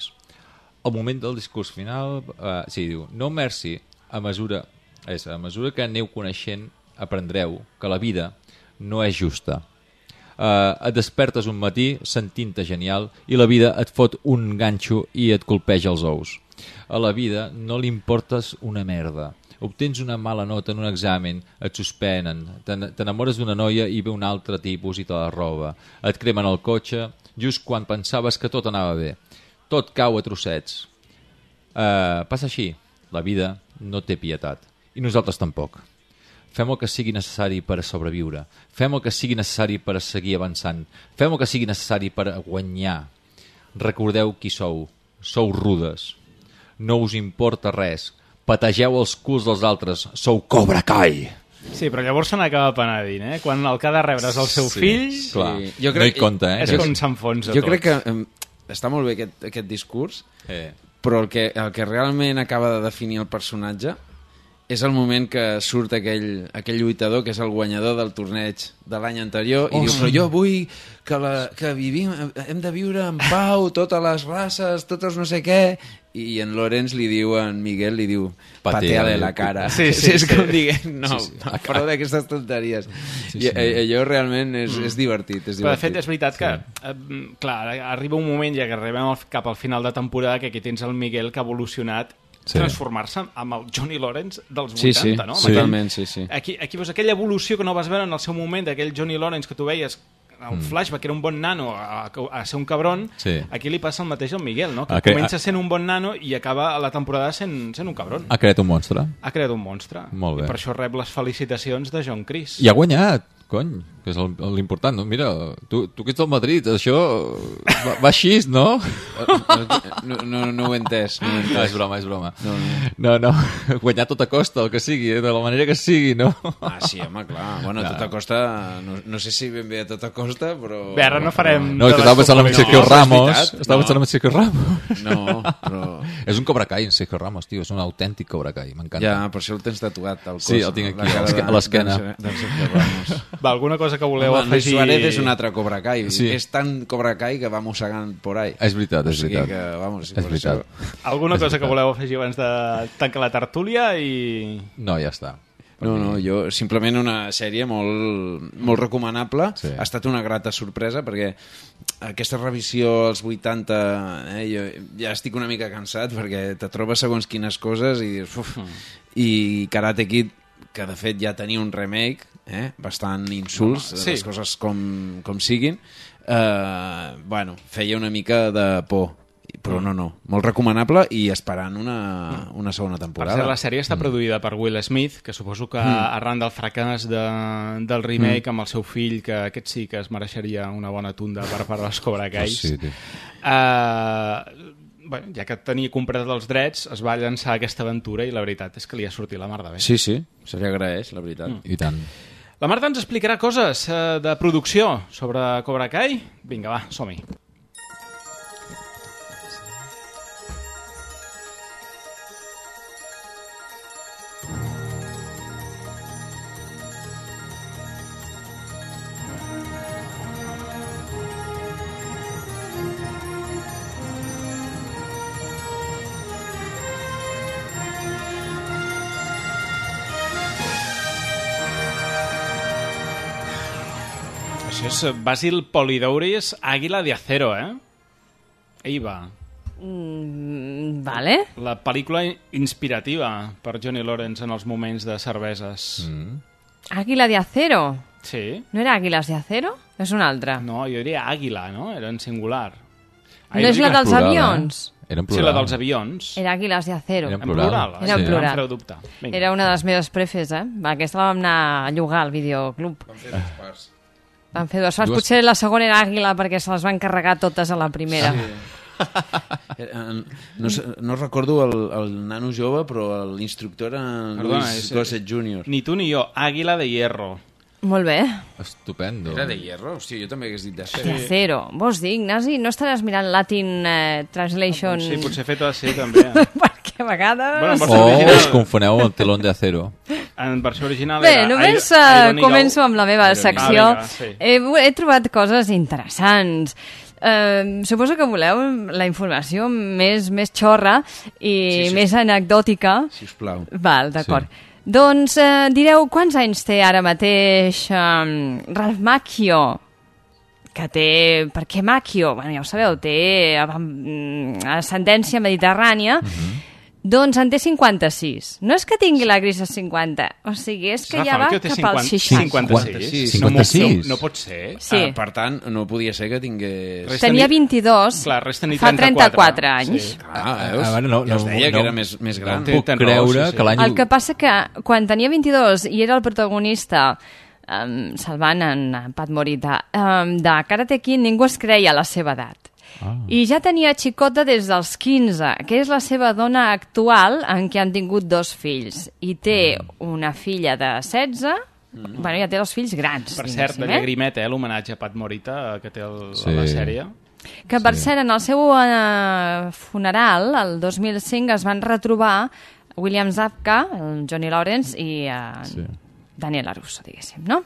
Al moment del discurs final, diu, No Mercy, a mesura que aneu coneixent, aprendreu que la vida no és justa. Et despertes un matí sentint-te genial i la vida et fot un ganxo i et colpeja els ous. A la vida no li importes una merda. Obtens una mala nota en un examen, et suspenen, t'enamores d'una noia i ve un altre tipus i te la roba. Et cremen el cotxe just quan pensaves que tot anava bé. Tot cau a trossets. Passa així. La vida no té pietat. I nosaltres tampoc. Fem el que sigui necessari per sobreviure. Fem el que sigui necessari per seguir avançant. Fem el que sigui necessari per guanyar. Recordeu qui sou. Sou rudes. No us importa res. Pategeu els culs dels altres. Sou Cobra Kai. Sí, però llavors se n'acaba penedint, Quan el que ha de rebre és el seu fill... Clar, no hi compta, És com s'enfonsa tot. Jo crec que està molt bé aquest discurs, però el que realment acaba de definir el personatge és el moment que surt aquell lluitador que és el guanyador del torneig de l'any anterior i diu, però jo vull que vivim, hem de viure en pau, totes les races, totes no sé què, i en Lawrence li diu, en Miguel li diu, pateale la cara. Sí. És com dient, no, prou d'aquestes tonteries. I allò realment és divertit. Però de fet és veritat que, clar, arriba un moment ja que arribem cap al final de temporada que aquí tens el Miguel que ha evolucionat transformar-se amb el Johnny Lawrence dels 80, no? Totalment, sí. Aquí veus aquella evolució que no vas veure en el seu moment, d'aquell Johnny Lawrence que tu veies un flashback, que era un bon nano a ser un cabron, aquí li passa el mateix al Miguel, no? Que comença sent un bon nano i acaba la temporada sent un cabron. Ha creat un monstre. Ha creat un monstre. Molt bé. I per això rep les felicitacions de John Chris. I ha guanyat, cony. que és l'important, no? Mira, tu que ets del Madrid, això va així, no? No ho he entès. No, és broma. No, guanyar a tota costa, el que sigui, de la manera que sigui, no? Ah, sí, home, clar. Bueno, a tota costa, no sé si ben bé a tota costa, però... Bé, ara no farem... No, que estava pensant en Sergio Ramos. Estava pensant en Sergio Ramos. No, però... És un Cobra Kai, en Sergio Ramos, tio, és un autèntic Cobra Kai, m'encanta. Ja, per això el tens tatuat al cos. Sí, el tinc aquí, a l'esquena. Va, alguna cosa que voleu afegir... Suárez és un altre Cobra Kai. Sí. És tan Cobra Kai que va mossegant por ahí. És veritat. És veritat. Alguna cosa que voleu afegir abans de tancar la tertúlia i... No, ja està. No, jo simplement una sèrie molt recomanable. Sí. Ha estat una grata sorpresa perquè aquesta revisió als 80 jo ja estic una mica cansat perquè te trobes segons quines coses i dius uf, i Karate Kid, que de fet ja tenia un remake bastant insults, les coses com siguin, bueno, feia una mica de por, però no, molt recomanable i esperant una segona temporada. Per cert, la sèrie està produïda per Will Smith, que suposo que arran del fracàs del remake amb el seu fill, que aquest sí que es mereixeria una bona tunda per part dels Cobra Kais. Sí, bueno, ja que tenia comprat els drets, es va llançar aquesta aventura i la veritat és que li ha sortit la mar de bé. Sí, se li agraeix, la veritat. I tant. La Marta ens explicarà coses de producció sobre Cobra Kai. Vinga, va, som-hi. Això és Basil Polidouris, Àguila de Acero, Ahí va. Vale. La pel·lícula inspirativa per Johnny Lawrence en els moments de cerveses. Àguila de Acero? Sí. No era Àguiles de Acero? És una altra. No, jo diria Àguila, no? Era en singular. No és la dels avions? Era en plural. Sí, la dels avions. Era Àguiles de Acero. Era en plural. Era en plural. Em fareu dubtar. Era una de les meves prefes, Aquesta la vam anar a llogar al videoclub. Vam fer dues parts. Van fer dues parts. Potser la segona era Àguila perquè se les van carregar totes a la primera. Sí. No recordo el nano jove, però l'instructor era Luis Gossett Jr. Ni tu ni jo. Àguila de Hierro. Molt bé. Estupendo. Era de Hierro? Hòstia, jo també hagués dit de De Acero. Vols dir, Ignasi? No estaràs mirant Latin Translation? Sí, potser fet així, també. Perquè a vegades... us confoneu el telón de acero. En versió original bé, era... només començo amb la meva secció. He trobat coses interessants. Suposo que voleu la informació més xorra i més anecdòtica. Sisplau. Val, d'acord. Sí. Doncs direu, quants anys té ara mateix Ralph Macchio? Que té... Per què Macchio? Bueno, ja ho sabeu, té ascendència mediterrània. Doncs en té 56. No és que tingui la gris a 50, o sigui, és que ja va cap als 60. 56? No pot ser. Sí. Per tant, no podia ser que tingués... Tenia 22, fa 34 anys. Sí. Ja us deia que era més gran. No puc creure que l'any... El que passa que quan tenia 22 i era el protagonista salvant en Pat Morita de Karate Kid, ningú es creia la seva edat. I ja tenia xicota des dels 15, que és la seva dona actual, en què han tingut 2 fills. I té una filla de 16, bueno, ja té 2 fills grans. Per cert, de llagrimet, l'homenatge a Pat Morita, que té la sèrie. Que, per cert, en el seu funeral, el 2005, es van retrobar William Zabka, el Johnny Lawrence, i Daniel LaRusso, diguéssim, no?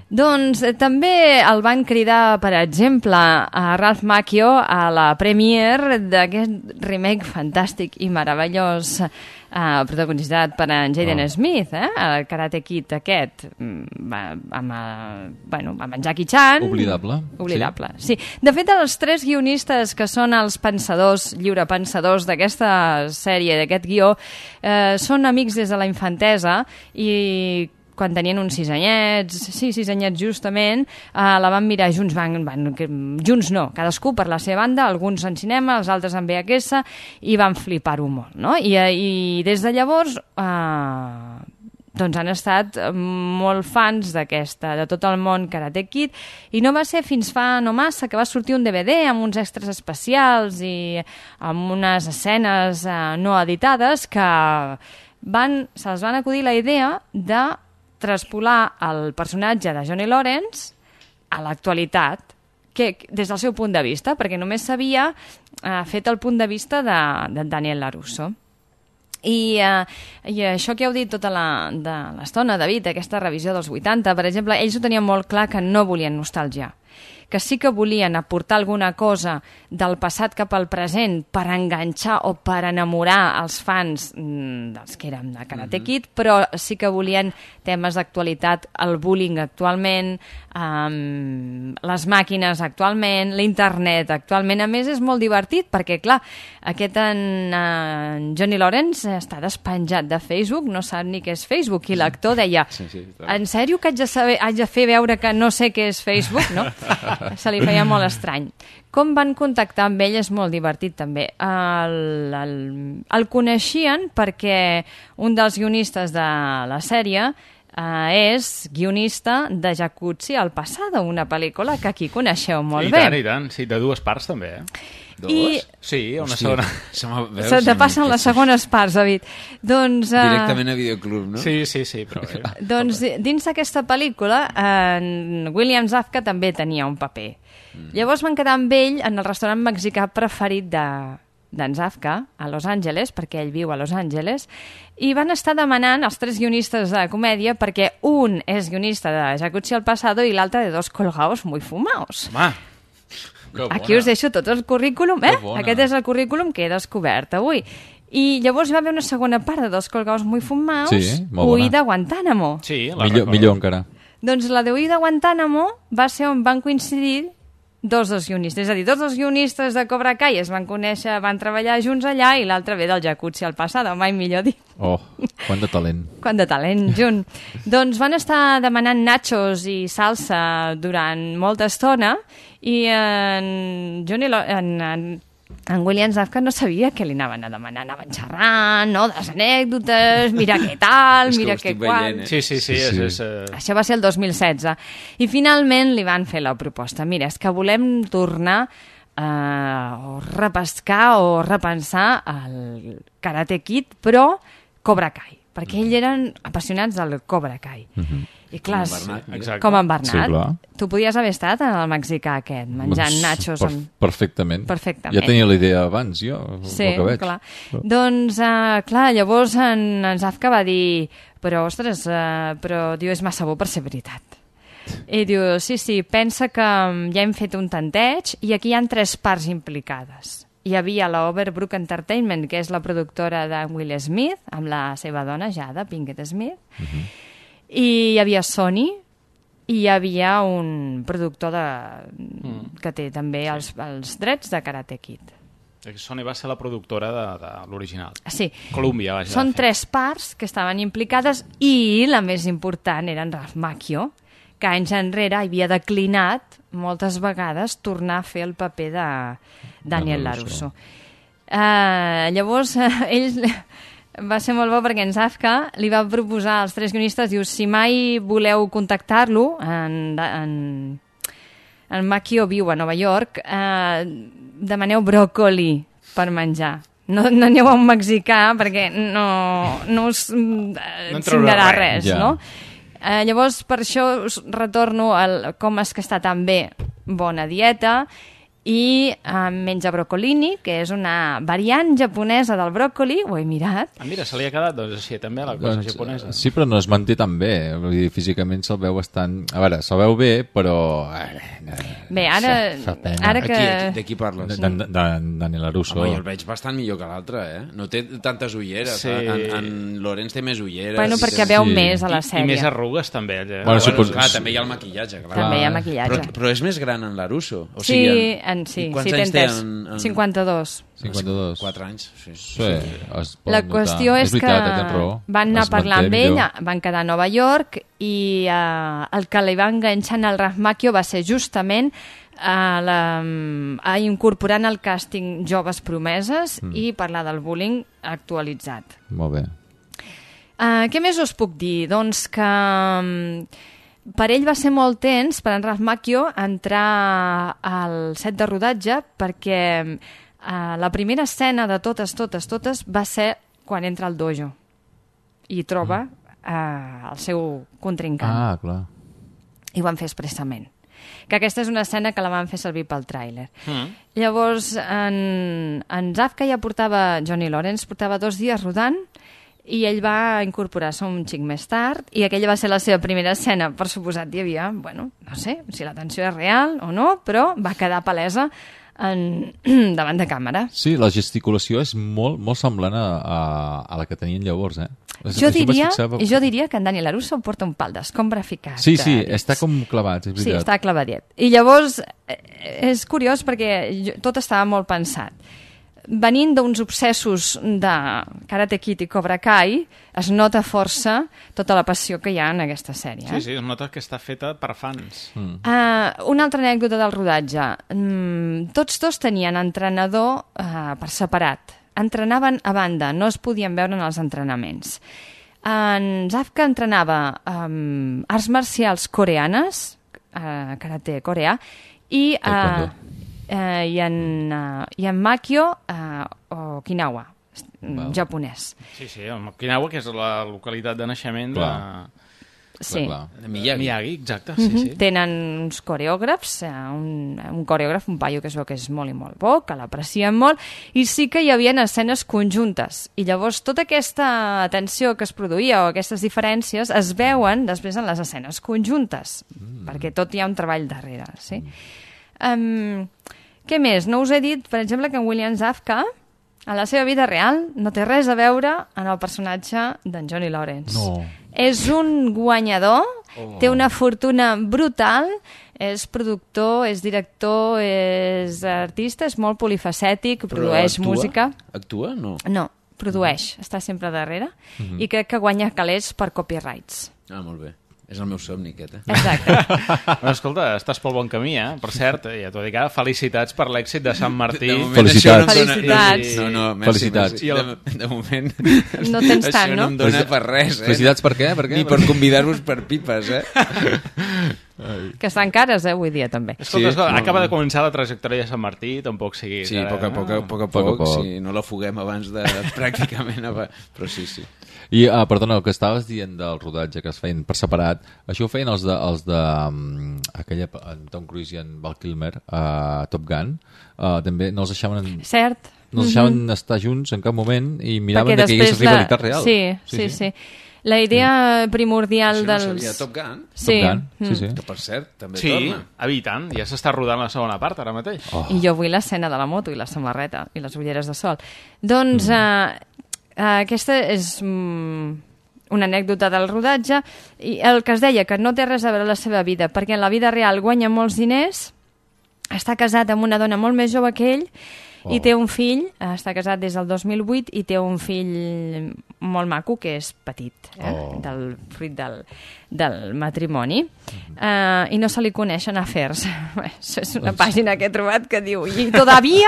Doncs també el van cridar, per exemple, a Ralph Macchio a la premiere d'aquest remake fantàstic i meravellós protagonitzat per en Jaden Smith, el Karate Kid aquest, amb en Jackie Chan. Oblidable. Sí. De fet, els 3 guionistes que són els pensadors, lliurepensadors d'aquesta sèrie, d'aquest guió, són amics des de la infantesa i quan tenien uns 6 anyets justament, la van mirar junts, junts no, cadascú per la seva banda, alguns en cinema, els altres en VHS, i van flipar-ho molt, no? I des de llavors doncs han estat molt fans de tot el món Karate Kid, i no va ser fins fa no massa que va sortir un DVD amb uns extras especials i amb unes escenes no editades que se'ls van acudir la idea de traspolar el personatge de Johnny Lawrence a l'actualitat, des del seu punt de vista, perquè només s'havia fet el punt de vista de Daniel LaRusso. I això que heu dit tota l'estona, David, aquesta revisió dels 80, per exemple, ells ho tenien molt clar que no volien nostàlgia, que sí que volien aportar alguna cosa del passat cap al present per enganxar o per enamorar els fans dels que érem de Karate Kid, però sí que volien temes d'actualitat, el bullying actualment, les màquines actualment, l'internet actualment. A més, és molt divertit perquè, clar, aquest Johnny Lawrence està despenjat de Facebook, no sap ni què és Facebook, i l'actor deia, en sèrio que haig de fer veure que no sé què és Facebook, no? Se li feia molt estrany. Com van contactar amb ell és molt divertit també. El coneixien perquè un dels guionistes de la sèrie és guionista de Jacuzzi al Pasado, una pel·lícula que aquí coneixeu molt bé. I tant, sí, de 2 parts també. Dos? Sí, una segona. Se te passen les segones parts, David. Doncs, directament a Videoclub, no? Sí, però bé. Doncs dins d'aquesta pel·lícula, William Zabka també tenia un paper. Llavors van quedar amb ell en el restaurant mexicà preferit d'en Zabka, a Los Angeles, perquè ell viu a Los Angeles, i van estar demanant els 3 guionistes de comèdia, perquè un és guionista de Jacuzzi al Pasado i l'altre de Dos colgados muy fumaos. Home! Aquí us deixo tot el currículum, Aquest és el currículum que he descobert avui. I llavors va haver una segona part de Dos colgados muy fumaos, Huí de Guantánamo. Sí, millor encara. Doncs la de Huí de Guantánamo va ser on van coincidir dos dels guionistes. És a dir, dos dels guionistes de Cobra Kai es van conèixer, van treballar junts allà, i l'altre ve del Jacuzzi al Pasado, mai millor dir. Oh, quant de talent. Quant de talent, junt. Doncs van estar demanant nachos i salsa durant molta estona, i en William Zabka no sabia què li anaven a demanar. Anaven xerrant, no?, de les anècdotes, mira què tal, mira què qual... Sí. Això va ser el 2016. I finalment li van fer la proposta. Mira, és que volem tornar a repescar o repensar el Karate Kid, però Cobra Kai, perquè ells eren apassionats del Cobra Kai. I clar, com en Bernat. Sí, tu podies haver estat al mexicà aquest, menjant nachos. Perfectament. Ja tenia la idea abans, jo. Sí, clar. Doncs, clar, llavors en Zabka va dir, però, ostres, diu, és massa bo per ser veritat. I diu, sí, pensa que ja hem fet un tanteig i aquí hi ha 3 parts implicades. Hi havia la Overbrook Entertainment, que és la productora de Will Smith, amb la seva dona, Jada Pinkett Smith, i hi havia Sony, i hi havia un productor que té també els drets de Karate Kid. Sony va ser la productora de l'original. Sí. Columbia, vaja. Són 3 parts que estaven implicades, i la més important era en Ralph Macchio, que anys enrere havia declinat moltes vegades tornar a fer el paper de Daniel LaRusso. Llavors, ell... Va ser molt bo perquè en Zabka li va proposar als 3 guionistes, diu, si mai voleu contactar-lo, en Macchio viu a Nova York, demaneu bròcoli per menjar. No aneu a un mexicà perquè no us signarà res, no? Llavors, per això us retorno al com és que està tan bé bona dieta, i menja brocolini, que és una variant japonesa del bròcoli, ho he mirat. Mira, se li ha quedat doncs, així també la cosa japonesa. Sí, però no es manté tan bé, vull dir, físicament se'l veu bastant... A veure, se'l veu bé, però... Bé, ara que... De qui parles? De Daniel LaRusso. Home, jo el veig bastant millor que l'altre, No té tantes ulleres. En Lorenz té més ulleres. Bueno, perquè veu més a la sèrie. I més arrugues, també. Clar, també hi ha el maquillatge, clar. També hi ha maquillatge. Però és més gran en LaRusso. Sí, quants anys té? 52. 52. 4 anys, sí. La qüestió és que van anar a parlar amb ell, van quedar a Nova York, i el que li va enganxar al Ralph Macchio va ser justament a incorporar en el càsting joves promeses i parlar del bullying actualitzat. Molt bé. Què més us puc dir? Doncs que per ell va ser molt tens, per en Ralph Macchio, entrar al set de rodatge perquè la primera escena de totes va ser quan entra al dojo i troba el seu contrincant. Ah, clar. I ho van fer expressament. Que aquesta és una escena que la van fer servir pel tràiler. Llavors, en Zafka ja portava, Johnny Lawrence, portava 2 dies rodant i ell va incorporar-se un xic més tard i aquella va ser la seva primera escena. Per suposat, hi havia, bueno, no sé si la tensió és real o no, però va quedar palesa davant de càmera. Sí, la gesticulació és molt, molt semblant a la que tenien llavors, eh? Jo diria que en Dani LaRusso porta un pal d'escombra ficat. Sí, està com clavat, és veritat. Sí, està clavadet. I llavors és curiós perquè tot estava molt pensat. Venint d'uns obsessos de Karate Kid i Cobra Kai, es nota força tota la passió que hi ha en aquesta sèrie. Sí, es nota que està feta per fans. Una altra anècdota del rodatge. Tots dos tenien entrenador per separat. Entrenaven a banda, no es podien veure en els entrenaments. En Zafka entrenava arts marcials coreanes, karate coreà, i en Macchio Okinawa, japonès. Sí, Okinawa, que és la localitat de naixement de Miyagi, exacte. Tenen uns coreògrafs, un coreògraf, un paio que es veu que és molt i molt bo, que l'aprecien molt, i sí que hi havia escenes conjuntes. I llavors tota aquesta tensió que es produïa o aquestes diferències es veuen després en les escenes conjuntes, perquè tot hi ha un treball darrere, sí? Què més? No us he dit, per exemple, que en William Zafka, a la seva vida real, no té res a veure en el personatge d'en Johnny Lawrence. No. És un guanyador, té una fortuna brutal, és productor, és director, és artista, és molt polifacètic, produeix música. Actua? No. No, produeix, està sempre darrere, i crec que guanya calés per copyrights. Ah, molt bé. És el meu somni, aquest, Exacte. Bueno, escolta, estàs pel bon camí, Per cert, ja t'ho dic ara, felicitats per l'èxit de Sant Martí. Felicitats. No, felicitats. De moment... No tens tant, no? Això no em dona per res, Felicitats per què? Ni per convidar-vos per pipes, Que estan cares, avui dia, també. Escolta, acaba de començar la trajectòria de Sant Martí, tampoc sigui... Sí, a poc a poc, si no la fuguem abans de pràcticament... Però sí. I, perdona, el que estaves dient del rodatge que es feien per separat, això ho feien els de aquella, en Tom Cruise i en Val Kilmer, a Top Gun, també no els deixaven... Cert. No els deixaven estar junts en cap moment i miraven que hi hagués rivalitat real. Sí. La idea primordial dels... Això no sabia, Top Gun? Sí. Top Gun, sí. Que per cert, també torna. Sí, tant, ja s'està rodant la segona part ara mateix. I jo vull l'escena de la moto i la samarreta i les ulleres de sol. Doncs... aquesta és una anècdota del rodatge i el que es deia que no té res a veure la seva vida perquè en la vida real guanya molts diners, està casat amb una dona molt més jove que ell i té un fill, està casat des del 2008 i té un fill molt maco que és petit, del fruit del matrimoni i no se li coneixen afers. És una pàgina que he trobat que diu i todavía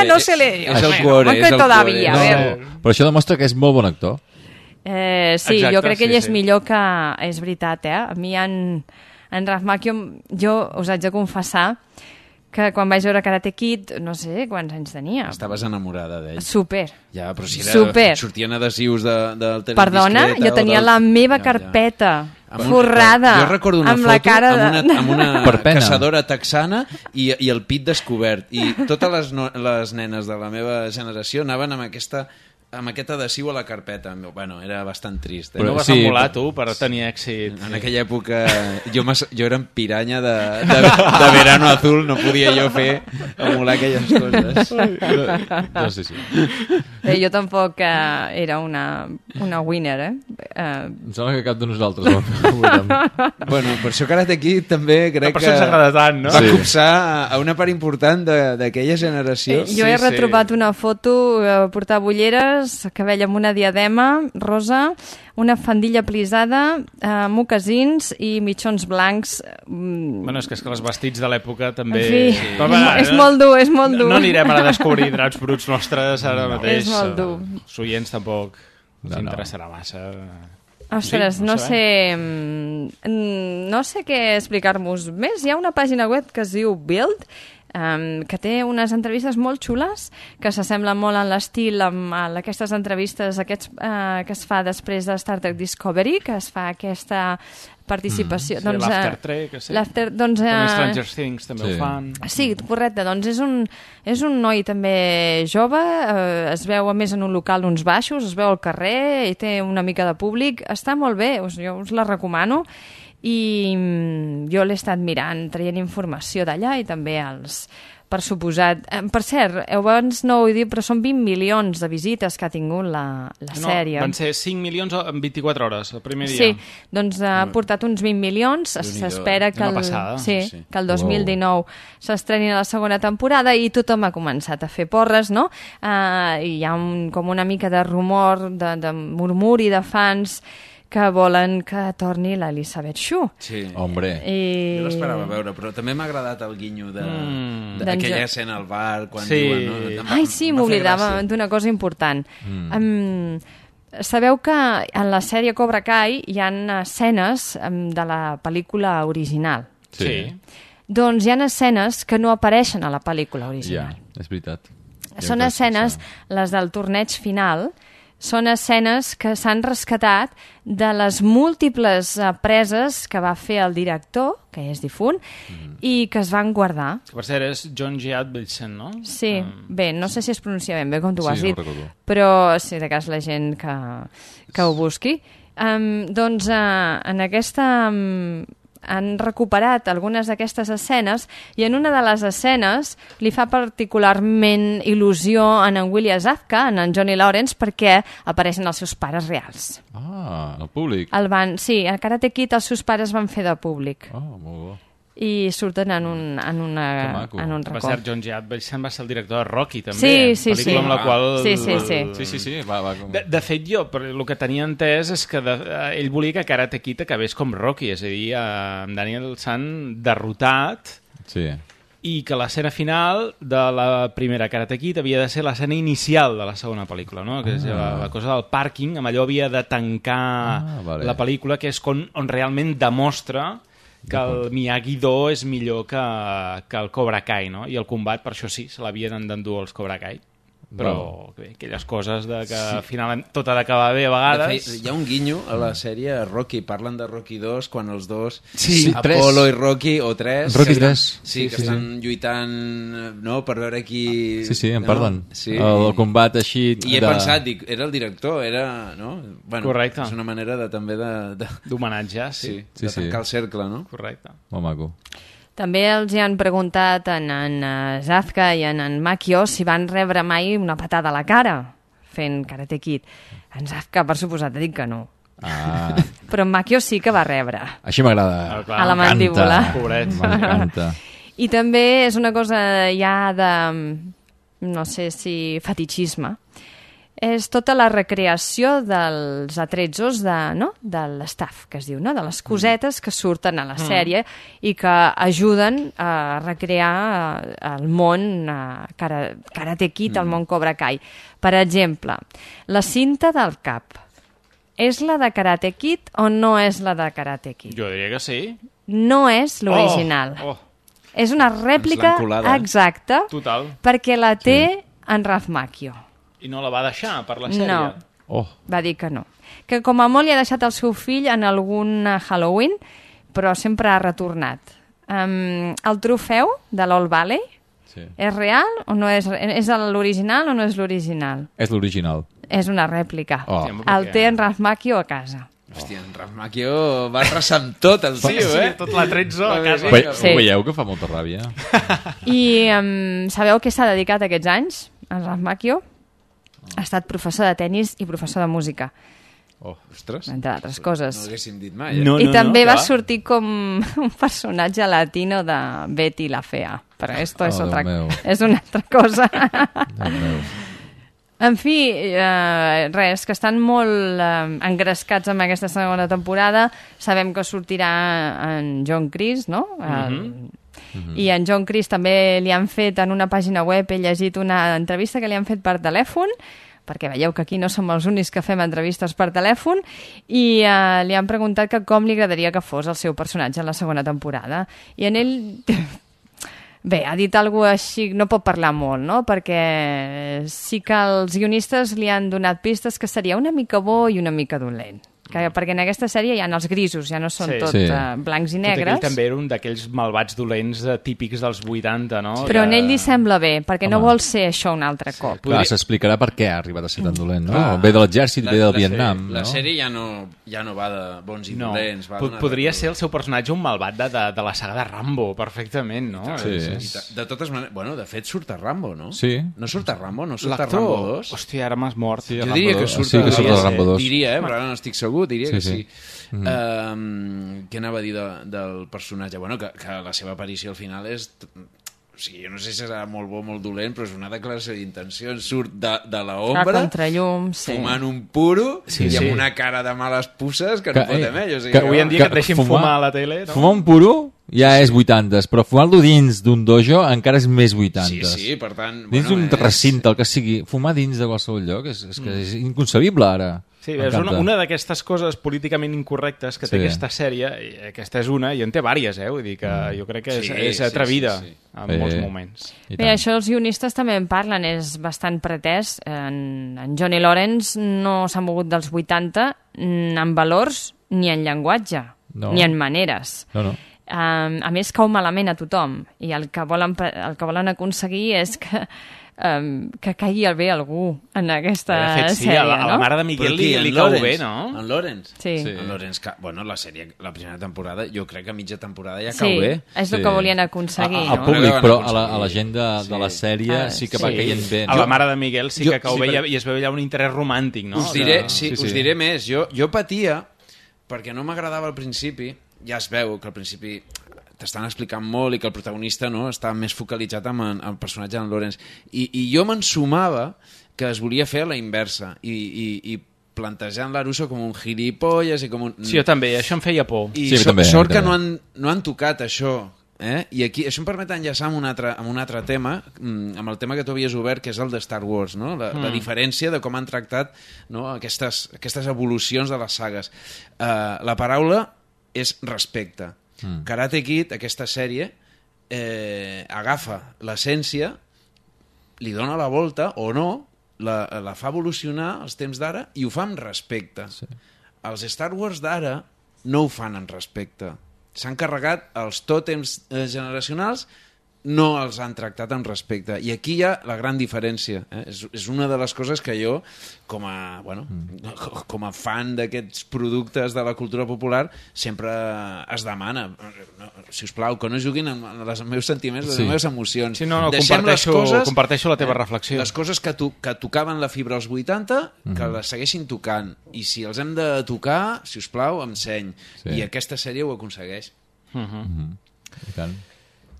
no se le... És el cuore. Però això demostra que és molt bon actor. Sí, jo crec que ell és millor que... És veritat, A mi en Ralph Macchio, jo us haig de confessar que quan vaig veure Karate Kid, no sé quants anys tenia. Estaves enamorada d'ell. Super. Ja, però si sortien adhesius del tenis Perdona, jo tenia la meva carpeta forrada jo recordo una amb foto la cara amb una caçadora texana i el pit descobert. I totes les nenes de la meva generació anaven amb aquest adhesiu a la carpeta. Bueno, era bastant trist. Però no vas emular, tu, per tenir èxit. En aquella època jo era en piranya de Verano Azul, no podia jo emular aquelles coses. No sé si. Jo tampoc era una winner, Em sembla que cap de nosaltres ho érem. Bueno, per això Karate Kid també crec que tant, no? Va copsar a una part important d'aquella generació. Jo he retrobat una foto, portava ulleres, cabell amb una diadema rosa, una faldilla plisada, mocasins i mitjons blancs. Bueno, és que els vestits de l'època també... En fi, és molt dur, és molt dur. No anirem ara a descobrir draps bruts nostres ara mateix. És molt dur. Els oients tampoc. us interessarà massa. Ostres, no sé què explicar-vos més. Hi ha una pàgina web que es diu Build, que té unes entrevistes molt xules, que s'assemblen molt en l'estil amb aquestes entrevistes que es fa després de Star Trek Discovery, que es fa aquesta participació. Sí, l'After Trek, doncs, Stranger Things també ho fan. Sí, correcte, doncs és un noi també jove, es veu a més en un local d'uns baixos, es veu al carrer i té una mica de públic, està molt bé, jo us la recomano, i jo l'he estat mirant, traient informació d'allà i també per suposat. Per cert, abans no ho he dit, però són 20 milions de visites que ha tingut la sèrie. Van ser 5 milions en 24 hores, el primer dia. Sí, doncs ha portat uns 20 milions, s'espera que que el 2019 s'estreni la segona temporada i tothom ha començat a fer porres, no? Hi ha com una mica de rumor, de murmuri de fans que volen que torni l'Elisabeth Shue. Sí. Hombre. Jo l'esperava veure, però també m'ha agradat el guinyo d'aquella escena al bar, quan diuen... No? Ai, sí, m'oblidava d'una cosa important. Sabeu que en la sèrie Cobra Kai hi ha escenes de la pel·lícula original. Sí. Doncs hi ha escenes que no apareixen a la pel·lícula original. Ja, és veritat. Són escenes, les del torneig final, són escenes que s'han rescatat de les múltiples preses que va fer el director, que és difunt, i que es van guardar. Que per cert és John G. Avildsen, no? Sí, bé, no sé si es pronuncia ben bé com tu ho has dit, recordo. però si de cas la gent que ho busqui. Doncs en aquesta... han recuperat algunes d'aquestes escenes i en una de les escenes li fa particularment il·lusió en William Zabka, en Johnny Lawrence, perquè apareixen els seus pares reals. El públic. Sí, a Karate Kid els seus pares van fer de públic. Molt bo. I surten en un racó. Per cert, John G. Avildsen va ser el director de Rocky, també. Sí. Pel·lícula amb la qual... Sí. Va. De fet, jo, el que tenia entès és que ell volia que Karate Kid acabés com Rocky, és a dir, amb Daniel San derrotat, i que l'escena final de la primera Karate Kid havia de ser l'escena inicial de la segona pel·lícula, no? Que és la cosa del pàrquing, amb allò havia de tancar la pel·lícula, que és on realment demostra que el Miyagi-Do és millor que el Cobra Kai, no? I el combat, per això sí, se l'havien d'endur els Cobra Kai. Però bé, aquelles coses de que al final tot ha d'acabar bé a vegades. De fet, hi ha un guinyo a la sèrie Rocky, parlen de Rocky 2 quan els dos,3. Apollo i Rocky, o 3, Rocky 3. Sí, que estan lluitant, no?, per veure qui... Sí, en parlen. El combat així... I he pensat, dic, era el director, no? Bueno, correcte. És una manera també d'homenatjar, de tancar el cercle, no? Correcte. Molt maco. També els hi han preguntat en Zabka i en Makio si van rebre mai una patada a la cara fent Karate Kid. En Zabka, per suposat, ha dit que no. Però en Makio sí que va rebre. Així m'agrada. A la mandíbula. M'encanta. I també és una cosa ja de, no sé si fetichisme, és tota la recreació dels atrezzos de l'staff, que es diu, no? De les cosetes que surten a la sèrie i que ajuden a recrear el món Karate Kid, el món Cobra Kai. Per exemple, la cinta del cap. És la de Karate Kid o no és la de Karate Kid? Jo diria que sí. No és l'original. És una rèplica exacta. Total. Perquè la té en Ralph Macchio. I no la va deixar per la sèrie? No, va dir que no. Que com a molt li ha deixat el seu fill en algun Halloween, però sempre ha retornat. El trofeu de l'Old Valley és real o no és? És l'original o no és l'original? És l'original. És una rèplica. El té en Ralph Macchio a casa. Hòstia, en Ralph Macchio va arrasar amb tot el tio, tot l'Atrezzo a casa. Ho veieu que fa molta ràbia? I sabeu què s'ha dedicat aquests anys, en Ralph Macchio? Ha estat professor de tennis i professor de música. Ostres. Entre altres coses. No l'haguéssim dit mai. I també va sortir com un personatge latino de Betty la Fea. Però esto és una altra cosa. En fi, res, que estan molt engrescats amb aquesta segona temporada. Sabem que sortirà en John Chris, no? I en John Chris també li han fet en una pàgina web, he llegit una entrevista que li han fet per telèfon, perquè veieu que aquí no som els únics que fem entrevistes per telèfon, i li han preguntat que com li agradaria que fos el seu personatge en la segona temporada. I en ell... Bé, ha dit alguna cosa així, no pot parlar molt, no? Perquè sí que els guionistes li han donat pistes que seria una mica bo i una mica dolent. Perquè en aquesta sèrie hi ha els grisos, ja no són blancs i negres. Ell també era un d'aquells malvats dolents típics dels 80, no? Però en ell li sembla bé, perquè no vol ser això un altre cop. Clar, s'explicarà per què ha arribat a ser tan dolent, no? Ve de l'exèrcit, ve del Vietnam. La sèrie ja no va de bons i dolents. Podria ser el seu personatge un malvat de la saga de Rambo, perfectament, no? De totes maneres, bueno, de fet surt a Rambo, no? Sí. No surt a Rambo, no surt a Rambo 2? Hòstia, ara m'has mort. Jo diria que surt a Rambo 2. Diria, però ara no estic segur, diria que sí. Què anava a dir del personatge? Bueno, que la seva aparició al final és... O sigui, jo no sé si serà molt bo o molt dolent, però és una declaració d'intencions. Surt de l'ombra, fumant un puro i amb una cara de males pusses que no pot amb ell. Que avui en dia que et deixin fumar a la tele, no? Fumar un puro ja és 80s, però fumar-lo dins d'un dojo encara és més 80s. Sí, per tant... Dins d'un recinte, el que sigui. Fumar dins de qualsevol lloc és que és inconcebible, ara. Sí, és una d'aquestes coses políticament incorrectes que té aquesta sèrie, i aquesta és una, i en té vàries, vull dir que jo crec que és atrevida en molts moments. Bé, això els guionistes també en parlen, és bastant pretès. En Johnny Lawrence no s'ha mogut dels 80 en valors ni en llenguatge, ni en maneres. A més, cau malament a tothom, i el que volen aconseguir és que caigui bé algú en aquesta sèrie, no? A la mare de Miguel li cau bé, no? En Lawrence? Sí. En Lawrence, bueno, la sèrie, la primera temporada, jo crec que a mitja temporada ja cau bé. Sí, és el que volien aconseguir. Al públic, però a la gent de la sèrie sí que va caient bé. A la mare de Miguel sí que cau bé i es veu allà un interès romàntic, no? Us diré més. Jo patia, perquè no m'agradava al principi, ja es veu que al principi t'estan explicant molt i que el protagonista està més focalitzat en el personatge d'en Lawrence. I jo m'ensumava que es volia fer a la inversa i plantejant l'Aruso com un gilipolles i com un... Sí, jo també, això em feia por. I sort que no han tocat això. I aquí això em permet enllaçar amb un altre tema, amb el tema que tu havies obert, que és el de Star Wars, no? La diferència de com han tractat aquestes evolucions de les sagues. La paraula és respecte. Karate Kid, aquesta sèrie, agafa l'essència, li dona la volta o no, la fa evolucionar als temps d'ara i ho fa amb respecte. Els Star Wars d'ara no ho fan amb respecte. S'han carregat els tòtems generacionals, no els han tractat amb respecte. I aquí hi ha la gran diferència. És una de les coses que jo, com a fan d'aquests productes de la cultura popular, sempre es demana. Sisplau, que no juguin amb els meus sentiments, les meves emocions. Sí, no, comparteixo la teva reflexió. Les coses que tocaven la fibra als 80, que les segueixin tocant. I si els hem de tocar, sisplau, amb seny. I aquesta sèrie ho aconsegueix. I tant.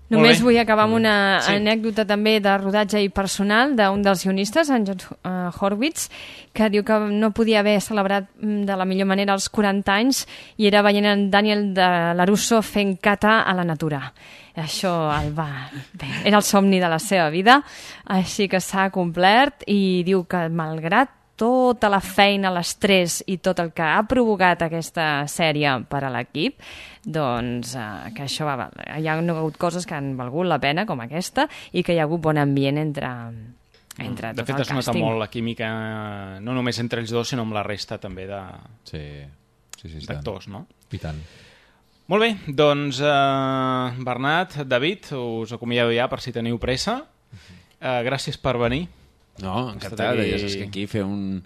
Només vull acabar amb una anècdota també de rodatge i personal d'un dels guionistes, en John Horwitz, que diu que no podia haver celebrat de la millor manera els 40 anys i era veient en Daniel de LaRusso fent kata a la natura. Això era el somni de la seva vida, així que s'ha complert i diu que malgrat tota la feina, l'estrès i tot el que ha provocat aquesta sèrie per a l'equip, doncs que això hi ha hagut coses que han valgut la pena, com aquesta, i que hi ha hagut bon ambient entre tot el càsting. De fet, es nota molt la química, no només entre ells dos, sinó amb la resta també d'actors, no? I tant. Molt bé, doncs Bernat, David, us acomiado ja per si teniu pressa. Gràcies per venir. No, encantat. Ja saps que aquí fer un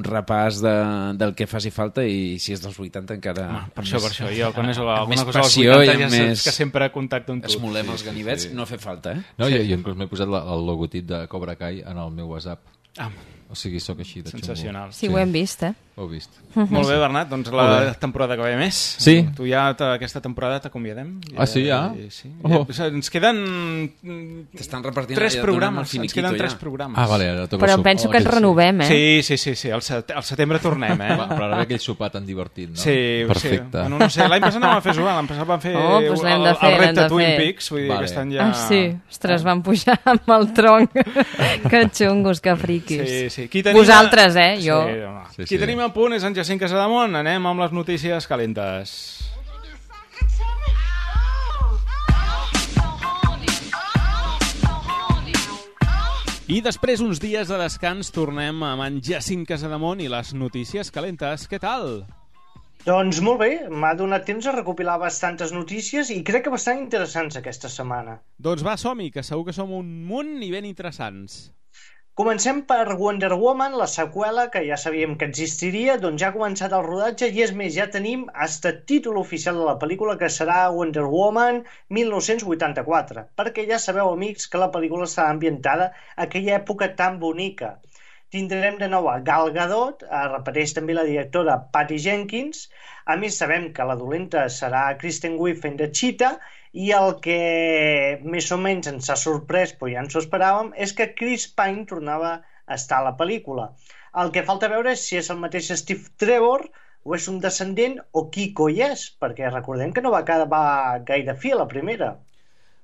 repàs del que faci falta i si és dels 80 encara... Per això, jo quan és alguna cosa dels 80 ja saps que sempre contacto amb tu. Esmolem els ganivets, no fa falta, No, jo inclús m'he posat el logotip de Cobra Kai en el meu WhatsApp. O sigui, sóc així de xungo. Sensacional. Sí, ho hem vist, Ho he vist. Molt bé, Bernat, doncs la temporada que ve més. Sí. Tu ja aquesta temporada t'acomiadem. Sí, ja? Sí. Ens queden... T'estan repartint 3 programes. Ens queden 3 programes. Vale, ara toca però penso que ens renovem, Sí. Al setembre tornem, Però ara ve aquell sopar tan divertit, no? Sí. Perfecte. Bueno, no sé, l'any passat no vam fer sopar, l'any passat vam fer el repte Twin Peaks, vull dir que aquest any ja... Sí, ostres, van pujar amb el tronc. Que xungos, que friquis. friquis. Sí. Qui tenim Vosaltres, jo. Sí, home. Qui tenim a punt és en Jacint Casademont. Anem amb les notícies calentes. I després uns dies de descans tornem amb en Jacint Casademont i les notícies calentes. Què tal? Doncs molt bé, m'ha donat temps a recopilar bastantes notícies i crec que bastant interessants aquesta setmana. Doncs va, som-hi, que segur que som un munt i ben interessants. Comencem per Wonder Woman, la seqüela, que ja sabíem que existiria, doncs ja ha començat el rodatge i és més, ja tenim hasta títol oficial de la pel·lícula, que serà Wonder Woman 1984, perquè ja sabeu, amics, que la pel·lícula està ambientada a aquella època tan bonica. Tindrem de nou a Gal Gadot, repareix també la directora Patty Jenkins, a més sabem que la dolenta serà Kristen Wiig fent de Cheetah, i el que més o menys ens ha sorprès, però ja ens ho esperàvem, és que Chris Pine tornava a estar a la pel·lícula. El que falta veure és si és el mateix Steve Trevor o és un descendent o qui coi és, perquè recordem que no va acabar gaire fi a la primera.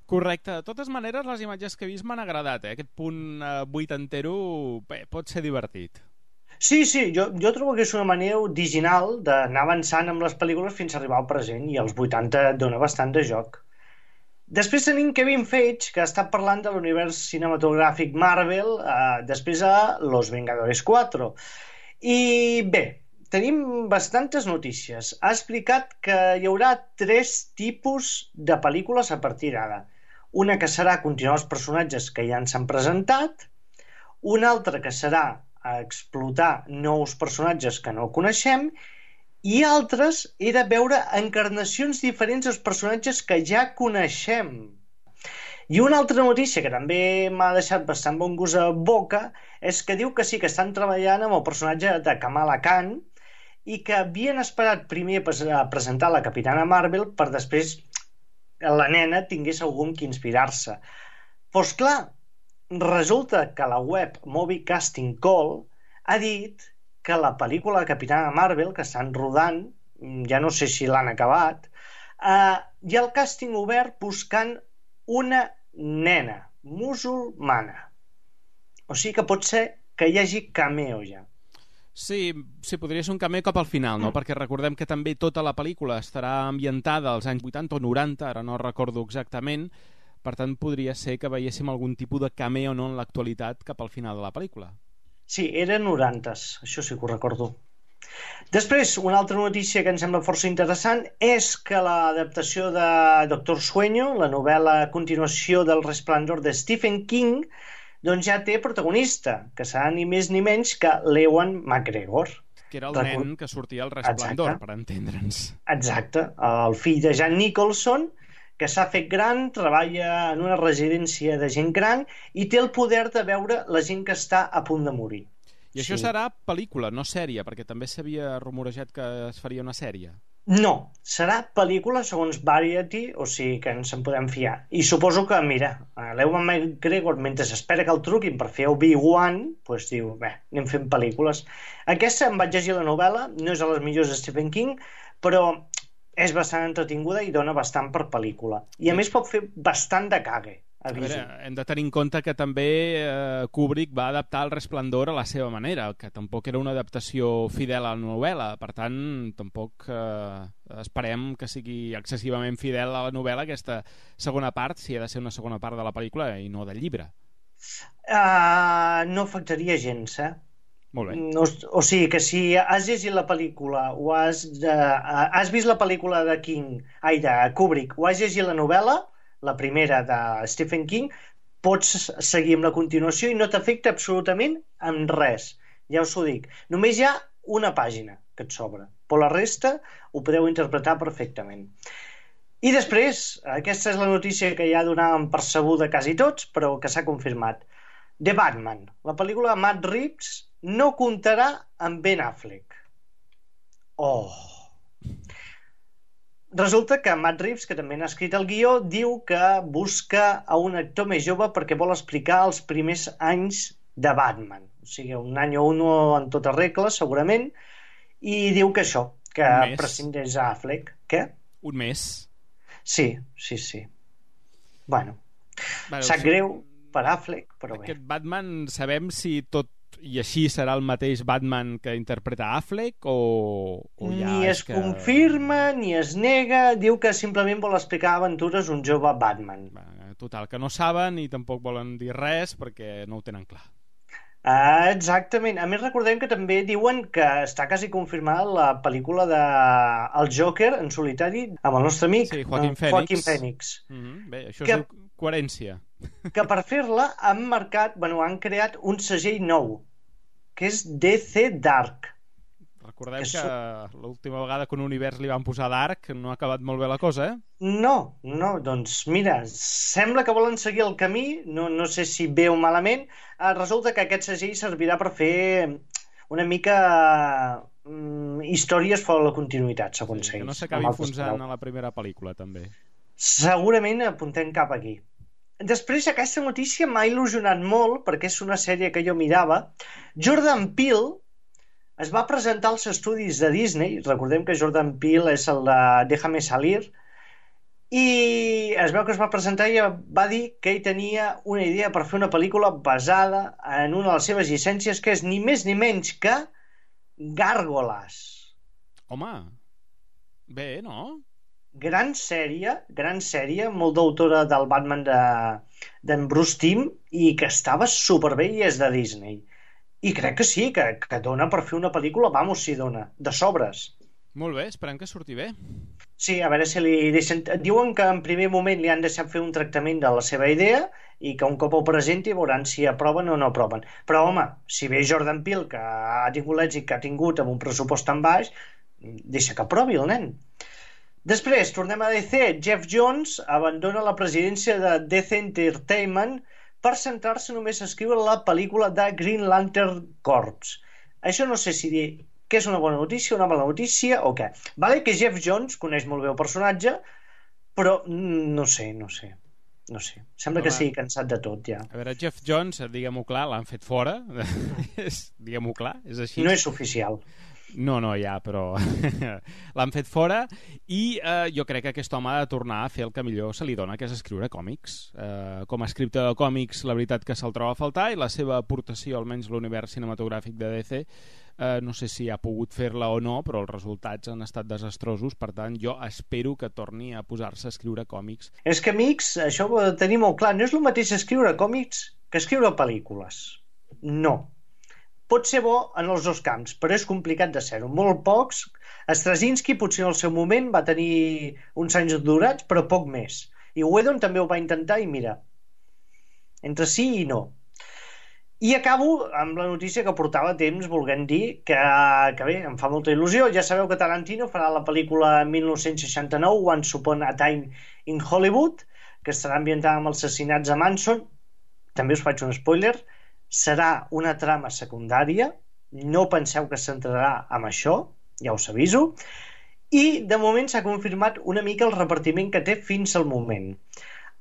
Correcte. De totes maneres, les imatges que he vist m'han agradat, Aquest punt vuitantero pot ser divertit. Sí, jo trobo que és una manera original d'anar avançant amb les pel·lícules fins a arribar al present, i els 80 dona bastant de joc. Després tenim Kevin Feige, que està parlant de l'univers cinematogràfic Marvel, després a Los Vengadores 4. I bé, tenim bastantes notícies. Ha explicat que hi haurà 3 tipus de pel·lícules a partir d'ara. Una que serà continuar els personatges que ja ens han presentat, una altra que serà explotar nous personatges que no coneixem, i altres era veure encarnacions diferents dels personatges que ja coneixem. I una altra notícia que també m'ha deixat bastant bon gust a boca és que diu que sí, que estan treballant amb el personatge de Kamala Khan i que havien esperat primer a presentar la Capitana Marvel per després la nena tingués algun que inspirar-se. Doncs clar, resulta que la web Movie Casting Call ha dit que la pel·lícula de Capitana Marvel, que estan rodant, ja no sé si l'han acabat, hi ha el càsting obert buscant una nena musulmana. O sigui que pot ser que hi hagi cameo ja. Sí, podria ser un cameo cap al final, no? Perquè recordem que també tota la pel·lícula estarà ambientada als anys 80 o 90, ara no recordo exactament, per tant podria ser que veiéssim algun tipus de cameo no en l'actualitat cap al final de la pel·lícula. Sí, eren 90s, això sí que ho recordo. Després, una altra notícia que em sembla força interessant és que l'adaptació de Doctor Sueño, la novel·la a continuació del Resplendor de Stephen King, doncs ja té protagonista, que serà ni més ni menys que l'Ewan McGregor. Que era el nen que sortia al Resplendor, per entendre'ns. Exacte, el fill de Jack Nicholson, que s'ha fet gran, treballa en una residència de gent gran i té el poder de veure la gent que està a punt de morir. I això serà pel·lícula, no sèrie, perquè també s'havia rumorejat que es faria una sèrie. No, serà pel·lícula segons Variety, o sigui que ens en podem fiar. I suposo que, mira, l'Ewan McGregor, mentre espera que el truquin per fer Obi-Wan, doncs diu, bé, anem fent pel·lícules. Aquesta em vaig llegir la novel·la, no és de les millors de Stephen King, però és bastant entretinguda i dona bastant per pel·lícula. I a més pot fer bastant de cague. A veure, hem de tenir en compte que també Kubrick va adaptar el Resplendor a la seva manera, que tampoc era una adaptació fidel a la novel·la, per tant tampoc esperem que sigui excessivament fidel a la novel·la aquesta segona part, si ha de ser una segona part de la pel·lícula i no del llibre. No afectaria gens, Molt bé. O sigui que si has llegit la pel·lícula o has vist la pel·lícula de Kubrick o has llegit la novel·la, la primera de Stephen King, pots seguir amb la continuació i no t'afecta absolutament en res. Ja us ho dic. Només hi ha una pàgina que et sobra, però la resta ho podeu interpretar perfectament. I després, aquesta és la notícia que ja donàvem per sabuda quasi tots, però que s'ha confirmat. The Batman, la pel·lícula de Matt Reeves, no comptarà amb Ben Affleck. Resulta que Matt Reeves, que també n'ha escrit el guió, diu que busca a un actor més jove perquè vol explicar els primers anys de Batman. O sigui, un any o uno en tota regla, segurament, i diu que això, que prescindeix a Affleck. Què? Un mes. Sí. Bueno, sap greu per Affleck, però bé. Aquest Batman sabem si tot I així serà el mateix Batman que interpreta Affleck o ja ni es confirma ni es nega, diu que simplement vol explicar aventures un jove Batman. Total, que no saben i tampoc volen dir res perquè no ho tenen clar. Exactament. A més, recordem que també diuen que està quasi confirmada la pel·lícula de El Joker en solitari amb el nostre amic Joaquin Phoenix. Bé, això es diu coherència. Que per fer-la han creat un segell nou, que és DC Dark. Recordem que l'última vegada que un univers li van posar Dark no ha acabat molt bé la cosa, eh? No, doncs mira, sembla que volen seguir el camí, no sé si bé o malament. Resulta que aquest segell servirà per fer una mica històries fora de la continuïtat, segons ells. Que no s'acabi enfonsant a la primera pel·lícula, també. Segurament apuntem cap aquí. Després, aquesta notícia m'ha il·lusionat molt, perquè és una sèrie que jo mirava. Jordan Peele es va presentar als estudis de Disney, recordem que Jordan Peele és el de Déjame Salir, i es veu que es va presentar i va dir que ell tenia una idea per fer una pel·lícula basada en una de les seves llicències, que és ni més ni menys que Gàrgoles. Home, bé, no? Gran sèrie, molt d'autora del Batman d'en Bruce Timm, i que estava superbé i és de Disney. I crec que sí, que dona per fer una pel·lícula, sí dona, de sobres. Molt bé, esperem que surti bé. Sí, a veure si li deixen... Diuen que en primer moment li han deixat fer un tractament de la seva idea i que un cop ho presenti veuran si aproven o no aproven. Però, home, si ve Jordan Peele, que ha tingut l'èxit que ha tingut amb un pressupost tan baix, deixa que aprovi el nen. Després, tornem a DC. Jeff Jones abandona la presidència de DC Entertainment per centrar-se només a escriure la pel·lícula de Green Lantern Corps. Això no sé si dir que és una bona notícia, una mala notícia o què. Vale que Jeff Jones coneix molt bé el personatge, però no sé. Sembla que sigui cansat de tot, ja. A veure, Jeff Jones, diguem-ho clar, l'han fet fora. Diguem-ho clar, és així. No és oficial. No, ja, però l'han fet fora i jo crec que aquest home ha de tornar a fer el que millor se li dona, que és escriure còmics. Com a escriptor de còmics, la veritat que se'l troba a faltar, i la seva aportació, almenys l'univers cinematogràfic de DC, no sé si ha pogut fer-la o no, però els resultats han estat desastrosos. Per tant, jo espero que torni a posar-se a escriure còmics. És que, amics, això ho he de tenir molt clar, no és el mateix escriure còmics que escriure pel·lícules. No. Pot ser bo en els dos camps, però és complicat de ser-ho. Molt pocs. Straczynski potser en el seu moment va tenir uns anys durats, però poc més. I Whedon també ho va intentar i mira, entre sí i no. I acabo amb la notícia que portava temps volent dir que bé, em fa molta il·lusió. Ja sabeu que Tarantino farà la pel·lícula 1969, Once Upon a Time in Hollywood, que estarà ambientada amb els assassinats a Manson. També us faig un spoiler. Serà una trama secundària, no penseu que es centrarà en això, ja us aviso, i de moment s'ha confirmat una mica el repartiment que té fins al moment.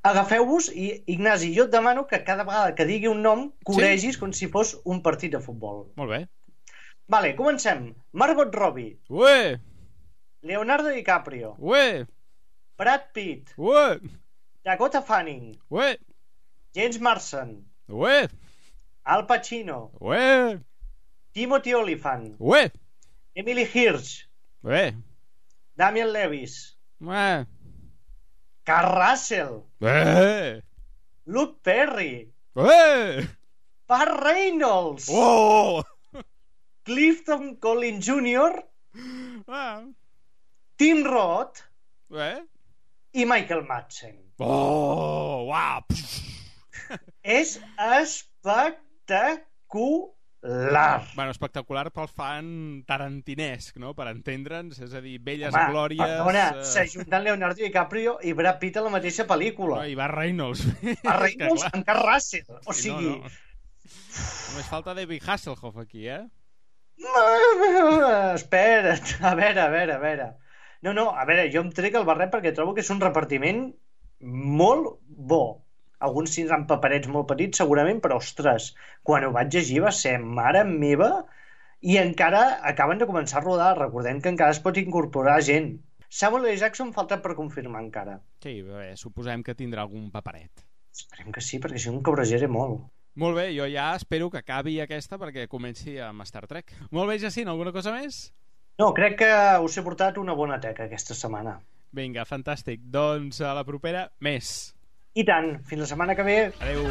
Agafeu-vos i, Ignasi, jo et demano que cada vegada que digui un nom coregis com si fos un partit de futbol. Molt bé. Vale, comencem. Margot Robbie. Ué! Leonardo DiCaprio. Ué! Brad Pitt. Ué! Dakota Fanning. Ué! James Marsden. Ué! Al Pacino. Ué! Timothy Olyphant. Ué! Emily Hirsch. Ué! Damian Lewis. Ué! Kurt Russell. Ué! Luke Perry. Ué! Burt Reynolds. Oh! Clifton Collins Jr. Tim Roth. Ué! I Michael Madsen. Oh! Uau! És espectacular. Bueno, espectacular pel fan tarantinesc, no? Per entendre'ns, és a dir, velles Home, glòries... Perdona, s'ajunten Leonardo DiCaprio i Brad Pitt a la mateixa pel·lícula. No, i Burt Reynolds. Burt Reynolds amb Kurt Russell. O sigui... No. Només falta David Hasselhoff aquí, eh? Espera't, a veure. No, a veure, jo em trec el barret perquè trobo que és un repartiment molt bo. Alguns tindran paperets molt petits segurament, però ostres, quan ho vaig llegir va ser mare meva, i encara acaben de començar a rodar. Recordem que encara es pot incorporar gent. Samuel L. Jackson falta per confirmar encara. Sí, bé, suposem que tindrà algun paperet. Esperem que sí, perquè si no em cabrejaré molt. Molt bé, jo ja espero que acabi aquesta perquè comenci amb Star Trek. Molt bé, Jacint, alguna cosa més? No, crec que us he portat una bona teca aquesta setmana. Vinga, fantàstic. Doncs a la propera, més. I tant, fins la setmana que ve. Adéu.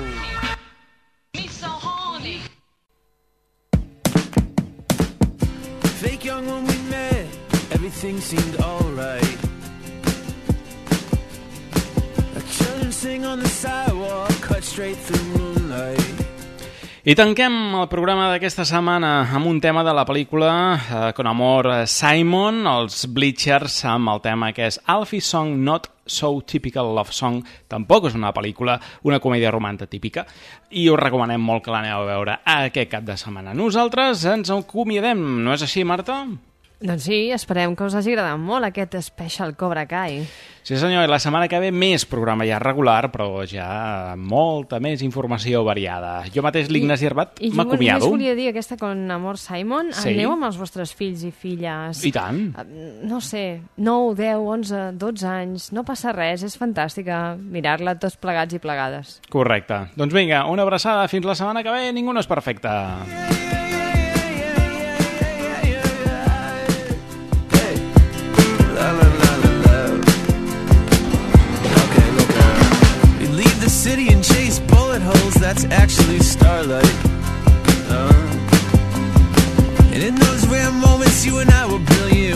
Fake young when we met, everything seemed alright. Children sing on the sidewalk, cut straight through moonlight. I tanquem el programa d'aquesta setmana amb un tema de la pel·lícula Con Amor Simon, els Bleachers, amb el tema que és Alfie Song Not So Typical Love Song. Tampoc és una pel·lícula, una comèdia romàntica típica, i us recomanem molt que l'aneu a veure aquest cap de setmana. Nosaltres ens acomiadem, no és així, Marta? Doncs sí, esperem que us hagi agradat molt aquest Special Cobra Kai. Sí senyor, i la setmana que ve més programa ja regular, però ja molta més informació variada. Jo mateix, l'Ignasi Herbat, m'acomiado. I jo només volia dir aquesta Con Amor Simon, sí? Aneu amb els vostres fills i filles. I tant. No sé, 9, 10, 11, 12 anys, no passa res, és fantàstica mirar-la tots plegats i plegades. Correcte. Doncs vinga, una abraçada, fins la setmana que ve, ningú no és perfecte. City and chase bullet holes, that's actually starlight. And in those rare moments, you and I were brilliant.